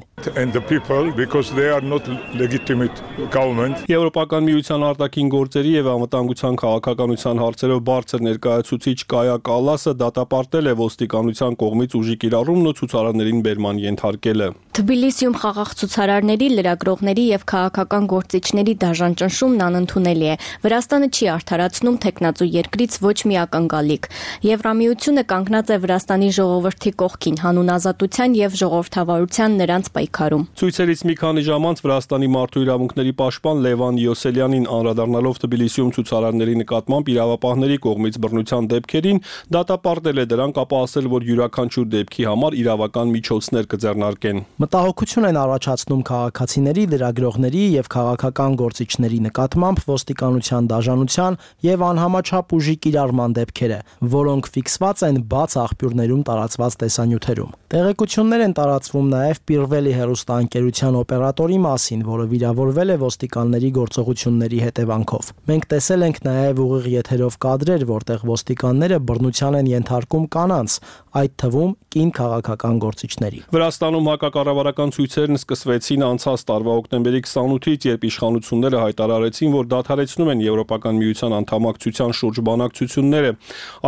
Եվրոպական միության արտաքին գործերի եւ անվտանգության քաղաքականության հարցերով բարձր ներկայացուցիչ Կայա Կալասը դատապարտել է ոստիկանության կողմից ուժի կիրառումն ու ցուցարարներին բերման ենթարկելը։ Թբիլիսիում խաղաղ ցուցարարների, լրագրողների եւ քաղաքական գործիչների դաժան ճնշումն անընդունելի է։ Վրաստանը չի արդարացնում տեխնացու երկրից ոչ մի ակնկալիք։ Եվրամիությունը կանգնած է Վրաստանի ժողովրդի կողքին, հանուն ազատության եւ ժողովրդավարության նրանց պայքարում։ Ցույցերից մի քանի ժամ անց Վրաստանի մարդու իրավունքների պաշտպան Լևան Յոսելյանին անդրադառնալով Թբիլիսիում ցուցարարների նկատմամբ իրավապահների կողմից բռնության դեպքերին դատապարտել է դրանք, ապա ասել, որ յուրաքանչյուր դեպքի համար իրավական միջոցներ կձեռնարկեն։ Մտահոգություն են առաջացնում քաղաքացիների, լրագրողների եւ քաղաքական գործիչների նկատմամբ ոստիկանության դաժանության եւ անհամաչափ ուժի կիրառման դեպքերը, որոնք ֆիքսված են բաց աղբյուրներում տարածված տեսանյութերում։ Տեղեկություններ են տարածվում նաեւ Պիրվելի հեռուստաընկերության օպերատորի մասին, որը վիրավորվել է ոստիկանների գործողությունների հետևանքով։ Մենք տեսել ենք նաեւ ուղիղ եթերով կադրեր, որտեղ ոստիկանները բռնության են ենթարկում կանանց, այդ թվում կին քաղաքական գործիչների։ Վրաստանում հակակառավարական ցույցերն սկսվեցին անցած տարվա հոկտեմբերի 28-ից, երբ իշխանությունները հայտարարեցին, որ դադարեցնում են Եվրոպական միության անդամակցության շուրջ բանակցությունները։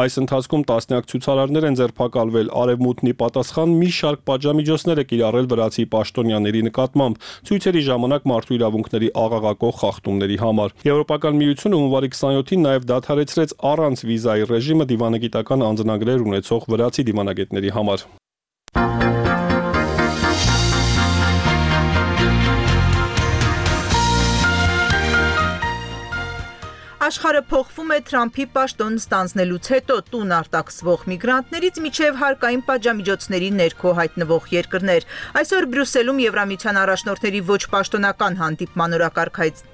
Այս ընթացքում տասնյակ ցուցարարներ են ձերբակալվել, արևմուտքն ի պատասխան մի շարք պատժամիջոցներ է կիրառել վրացի պաշտոնյաների նկատմամբ ցույցերի ժամանակ մարդու իրավունքների աղաղակող խախտումների համար։ Եվրոպական միությունը հունվարի 27-ին նաև դադարեցրեց առանց վիզայի ռեժիմը դիվանագիտական անձնագրեր ունեցող վրացի դիվանագետների համար։ Աշխարհը փոխվում է Թրամփի պաշտոն ստանձնելուց հետո տուն արտաքսվող միգրանտներից միջև հարկային պատժամիջոցների ներքո հայտնվող երկրներ։ Այսօր Բրյուսելում Եվրամիության առաջնորդների ոչ պաշտոնական հանդիպման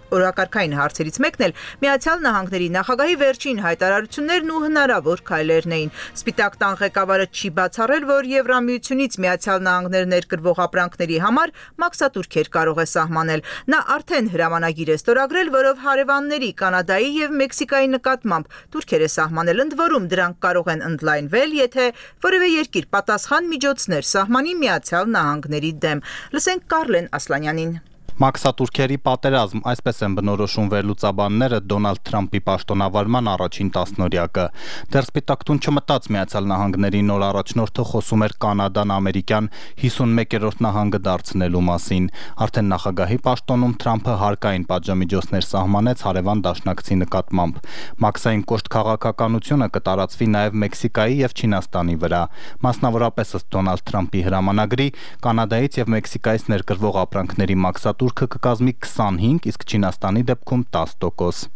օրակարգային հարցերից մեկն էլ Միացյալ Նահանգների նախագահի վերջին հայտարարություններն ու հնարավոր քայլերն էին։ Սպիտակ տան ղեկավարը չի բացառել, որ Եվրամիությունից Միացյալ Նահանգներ ներկրվող ապրանքների համար մաքսատուրքեր կարող է սահմանել։ Նա արդեն հրամանագիր է ստորագրել, որով հարևանների Կանադայի եւ Մեքսիկայի նկատմամբ թուրքեր է սահմանել, ընդ որում դրանք կարող են ընդլայնվել, եթե որևէ երկիր պատասխան միջոցներ սահմանի Միացյալ Նահանգների դեմ։ Լսենք Կարլեն Ասլանյանին։ Մաքսատուրքերի պատերազմ, այսպես են բնորոշում վերլուծաբանները Դոնալդ Թրամփի պաշտոնավարման առաջին տասնօրյակը։ Դեռ Սպիտակ տուն չմտած Միացյալ Նահանգների նոր առաջնորդը խոսում էր Կանադան ամերիկյան 51-րդ նահանգը դարձնելու մասին։ Արդեն նախագահի պաշտոնում Թրամփը հարկային պատժամիջոցներ սահմանեց հարևան դաշնակցի նկատմամբ։ Մաքսային կոշտ քաղաքականությունը կտարածվի նաև Մեքսիկայի եւ Չինաստանի վրա։ Մասնավորապես ըստ Դոնալդ Թրամփի հրամանագրի Կանադայից եւ Մեքսիկայից ներկրվող ապրանքների մաքսատուրքը կկազմի 25, իսկ Չինաստանի դեպքում 10%։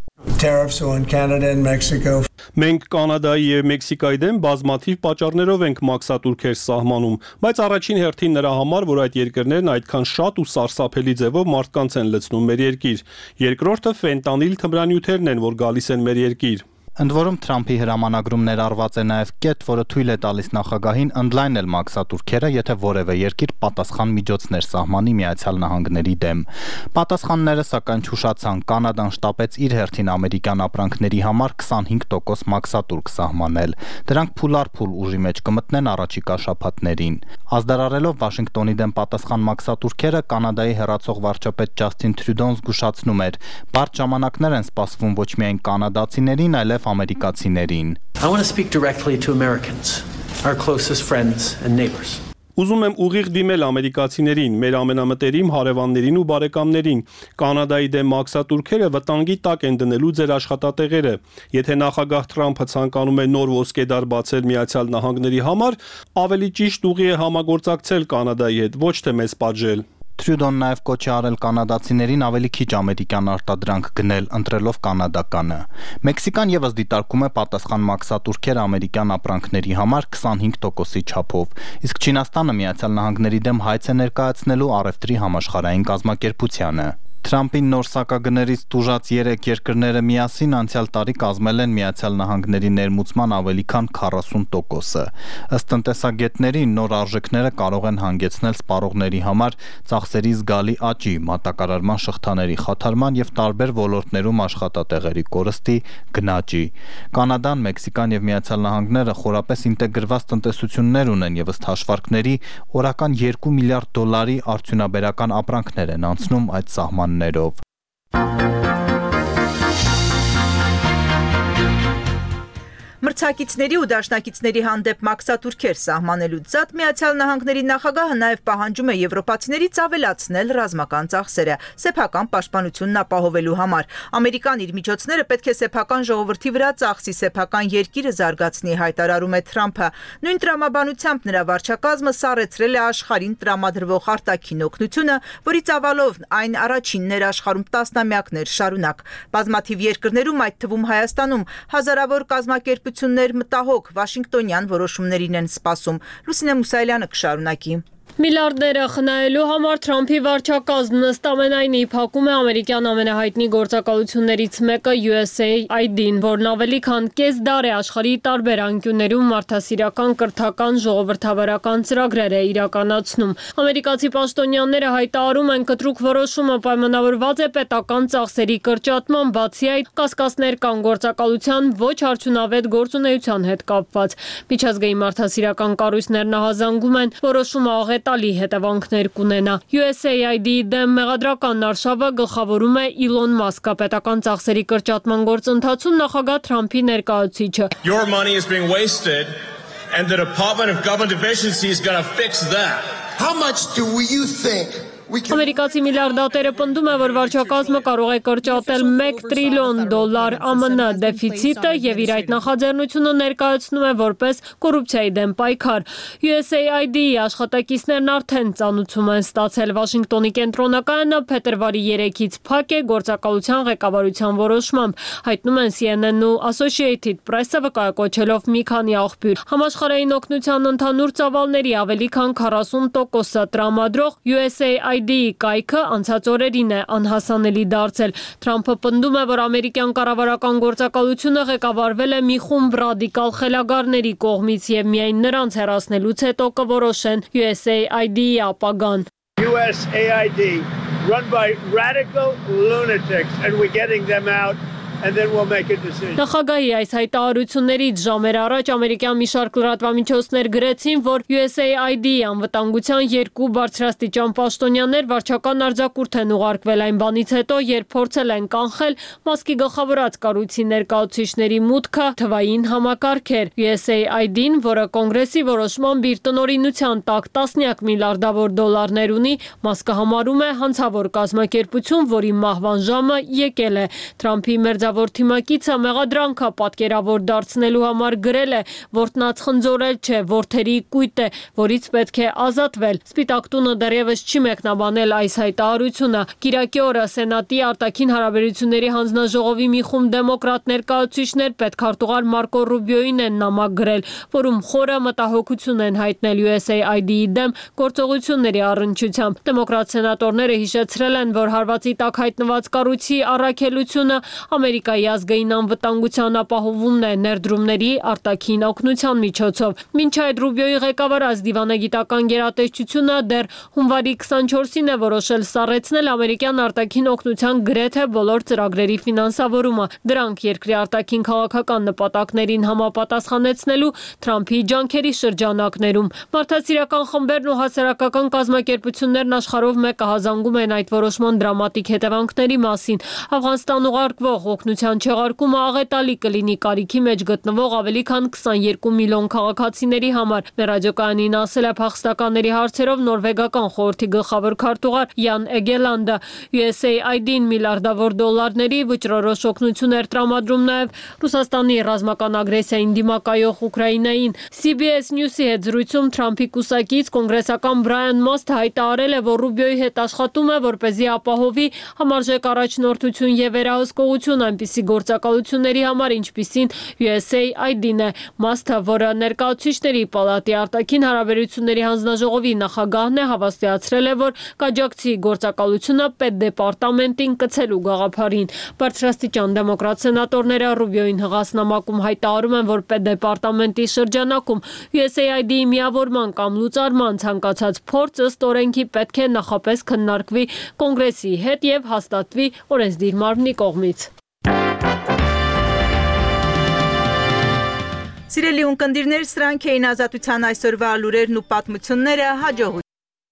Tariffs on Canada and Mexico. Մենք Կանադայի եւ Մեքսիկայի դեմ բազմաթիվ պատճառներով ենք մաքսատուրքեր սահմանում, բայց առաջին հերթին նրա համար, որ այդ երկրներն այդքան շատ ու սարսափելի ձևով մարդկանց են լցնում մեր երկիր։ Երկրորդը ֆենտանիլ թմրանյութերն են, որ գալիս են մեր երկիր։ Ընդ որում Թրամփի հրամանագրում ներառված է նաև կետ, որը թույլ է տալիս նախագահին ընդլայնել մաքսատուրքերը, եթե որևէ երկիր պատասխան միջոցներ սահմանի Միացյալ Նահանգների դեմ։ Պատասխանները սակայն չուշացան, Կանադան շտապեց իր հերթին ամերիկյան ապրանքների համար 25% մաքսատուրք սահմանել։ Դրանք փուլարփուլ ուժի մեջ կմտնեն առաջիկա շաբաթներին։ Ազդարարելով Վաշինգտոնի դեմ պատասխան մաքսատուրքերը, Կանադայի հեռացող վարչապետ Ջասթին Թրյուդոն զգուշացնում էր. «Բարդ ժամանակներ են սպասվում ոչ միայն կանադացիներին, այլև ամերիկացիներին»։ I want to speak directly to Americans, our closest friends and neighbors. Ուզում եմ ուղիղ դիմել ամերիկացիներին, մեր ամենամտերիմ հարևաններին ու բարեկամներին։ Կանադայի դեմ մաքսատուրքերը վտանգի տակ են դնելու ձեր աշխատատեղերը։ Եթե նախագահ Թրամփը ցանկանում է նոր ոսկեդար բացել Միացյալ Նահանգների համար, ավելի ճիշտ ուղի է համագործակցել Կանադայի հետ, ոչ թե մեզ պատժել։ Թրյուդոն նաև կոչ է արել կանադացիներին ավելի քիչ ամերիկյան արտադրանք գնել, ընտրելով կանադականը։ Մեքսիկան եւս դիտարկում է պատասխան մաքսատուրքեր ամերիկյան ապրանքների համար 25%-ի չափով, իսկ Չինաստանը Միացյալ Նահանգների դեմ հայց է ներկայացնելու առևտրի համաշխարհային կազմակերպությանը։ Թրամփի նոր սակագներից տուժած 3 երկրները միասին անցյալ տարի կազմել են Միացյալ Նահանգների ներմուծման ավելի քան 40%-ը։ Ըստ տնտեսագետների, նոր արժեքները կարող են հանգեցնել սպառողների համար ծախսերի զգալի աճի, մատակարարման շղթաների խաթարման եւ տարբեր ոլորտներում աշխատատեղերի կորստի գնաճի։ Կանադան, Մեքսիկան եւ Միացյալ Նահանգները խորապես ինտեգրված տնտեսություններ ունեն եւ ըստ հաշվարկների օրական $2 միլիարդ արդյունաբերական ապրանքներ են անցնում այդ սահմաններով։ Մրցակիցների ու դաշնակիցների հանդեպ մաքսատուրքեր սահմանելուց զատ Միացյալ Նահանգների նախագահը նաև պահանջում է եվրոպացիներից ավելացնել ռազմական ծախսերը սեփական պաշտպանությունն ապահովելու համար։ Ամերիկան իր միջոցները պետք է սեփական ժողովրդի վրա ծախսի, սեփական երկիրը զարգացնի, հայտարարում է Թրամփը։ Նույն տրամաբանությամբ նրա վարչակազմը սառեցրել է աշխարհին տրամադրվող արտաքին օգնությունը, որի ծավալով այն առաջինն էր աշխարհում տասնամյակներ շարունակ։ Բազմաթիվ երկրներում, այդ թվում Հայաստանում, հազարավոր կազմակերպություններ մտահոգ Վաշինգտոնյան որոշումներին են սպասում։ Լուսինե Մուսայելյանը կշարունակի։ Միլիարդները խնայելու համար Թրամփի վարչակազմն ըստ ամենայնի փակում է ամերիկյան ամենահայտնի գործակալություններից մեկը USAID-ին, որն ավելի քան կես դար է աշխարհի տարբեր անկյուններում մարդասիրական, կրթական, ժողովրդավարական ծրագրեր է իրականացնում։ Ամերիկացի պաշտոնյաները հայտարարում են, կտրուկ որոշումը պայմանավորված է պետական ծախսերի կրճատման, բացի այդ կասկածներ կան գործակալության ոչ արդյունավետ գործունեության հետ կապված։ Միջազգային մարդասիրական կառույցներն ահազանգում են, որոշումը տալի հետևանքներ կունենա։ USAID-ի դեմ մեղադրական արշավը գլխավորում է Իլոն Մասկը, պետական ծախսերի կրճատման գործընթացում նախագահ Թրամփի ներկայացուցիչը։ Your money is being wasted and the Department of Government Efficiency is going to fix that. How much do you think Ամերիկացի միլիարդատերը պնդում է, որ վարչակազմը կարող է կրճատել $1 տրիլիոն ԱՄՆ դեֆիցիտը եւ իր այդ նախաձեռնությունը ներկայացնում է որպես կոռուպցիայի դեմ պայքար։ USAID-ի աշխատակիցներն արդեն ծանուցում են ստացել Վաշինգտոնի կենտրոնականը փետրվարի 3-ից փակ է գործակալության ղեկավարության որոշմամբ, հայտնում են CNN-ն ու Associated Press-ը վկայակոչելով մի քանի աղբյուր։ Համաշխարհային օգնության ընդհանուր ծավալների ավելի քան 40%-ը տրամադրող USAID-ի կայքը անցած օրերին է անհասանելի դարձել։ Թրամփը պնդում է, որ ամերիկյան կառավարական գործակալությունը ղեկավարվել է մի խումբ ռադիկալ խելագարների կողմից եւ միայն նրանց հեռացնելուց հետո կորոշեն USAID-ի ապագան։ USAID run by radical lunatics and we're getting them out. And then we'll make a decision. Նախագահի այս հայտարարություններից ժամեր առաջ ամերիկյան մի շարք լրատվամիջոցներ գրեցին, որ USAID-ի անվտանգության 2 բարձրաստիճան պաշտոնյաներ վարչական արձակուրդ են ուղարկվել այն բանից հետո, երբ փորձել են կանխել Մասկի գլխավորած կառույցի ներկայացուցիչների մուտքը թվային համակարգեր։ USAID-ին, որը կոնգրեսի որոշմամբ իր տնօրինության տակ տասնյակ միլիարդավոր դոլարներ ունի, Մասկը համարում է հանցավոր կազմակերպություն, որի մահվան ժամը եկել է։ Թրամփի մերձ գլխավոր թիմակիցը մեղադրանքը պատկերավոր դարձնելու համար գրել է, որ տնածխնձորել չէ, որդերի կույտ է, որից պետք է ազատվել։ Սպիտակ տունը դեռևս չի մեկնաբանել այս հայտարարությունը։ Կիրակի օրը Սենատի արտաքին հարաբերությունների հանձնաժողովի մի խումբ դեմոկրատ ներկայացուցիչներ պետքարտուղար Մարկո Ռուբիոին են նամակ գրել, որում խորը մտահոգություն են հայտնել USAID-ի դեմ գործողությունների առնչությամբ։ Դեմոկրատ սենատորները հիշեցրել են, որ հարվածի տակ հայտնված կառույցի առաքելությունը Ամերիկայի ազգային անվտանգության ապահովումն է ներդրումների արտաքին օգնության միջոցով։ Մինչ այդ Ռուբիոյի ղեկավարած դիվանագիտական գերատեսչությունը դեռ հունվարի 24-ին է որոշել սառեցնել ամերիկյան արտաքին օգնության գրեթե բոլոր ծրագրերի ֆինանսավորումը։ Դրանք երկրի արտաքին քաղաքական նպատակներին համապատասխանեցնելու Թրամփի ջանքերի շրջանակներում։ Մարդասիրական խմբերն ու հասարակական կազմակերպություններն աշխարհով մեկը հազանգում են այդ որոշման դրամատիկ հետևանքների մասին։ Աֆղանստան ուղարկվող օգնության չեղարկումը աղետալի կլինի կարիքի մեջ գտնվող ավելի քան 22 միլիոն քաղաքացիների համար։ Մեր ռադիոկայանին ասել է փախստականների հարցերով նորվեգական խորհրդի գլխավոր քարտուղար Յան Էգելանդը։ USAID-ին միլիարդավոր դոլարների վճռորոշ օգնություններ տրամադրում նաև Ռուսաստանի ռազմական ագրեսիային դիմակայող Ուկրաինային։ CBS News-ի հետ զրույցում Թրամփի կուսակից կոնգրեսական Բրայան Մասթը հայտարարել է, որ Ռուբիոյի հետ աշխատում է, որպեսզի ապահովի համարժեք առաջնորդություն եւ վերահսկողություն այնպիսի գործակալությունների համար, ինչպիսին USAID-ն է։ Մասթը, որը ներկայացուցիչների պալատի արտաքին հարաբերությունների հանձնաժողովի նախագահն է, հավաստիացրել է, որ կաջակցի գործակալությունը պետդեպարտամենտին կցելու գաղափարին։ Բարձրաստիճան դեմոկրատ սենատորները Ռուբիոյին հղասնամակում հայտարարում են, որ պետդեպարտամենտի շրջանակում USAID-ի միավորման կամ լուծարման ցանկացած փորձ ըստ օրենքի պետք է նախապես քննարկվի կոնգրեսի հետ եւ հաստատվի օրենսդիր մարմնի կողմից։ Սիրելի ունկնդիրներ, սրանք էին Ազատության այսօրվա լուրերն ու պատմությունները, հաջողություն։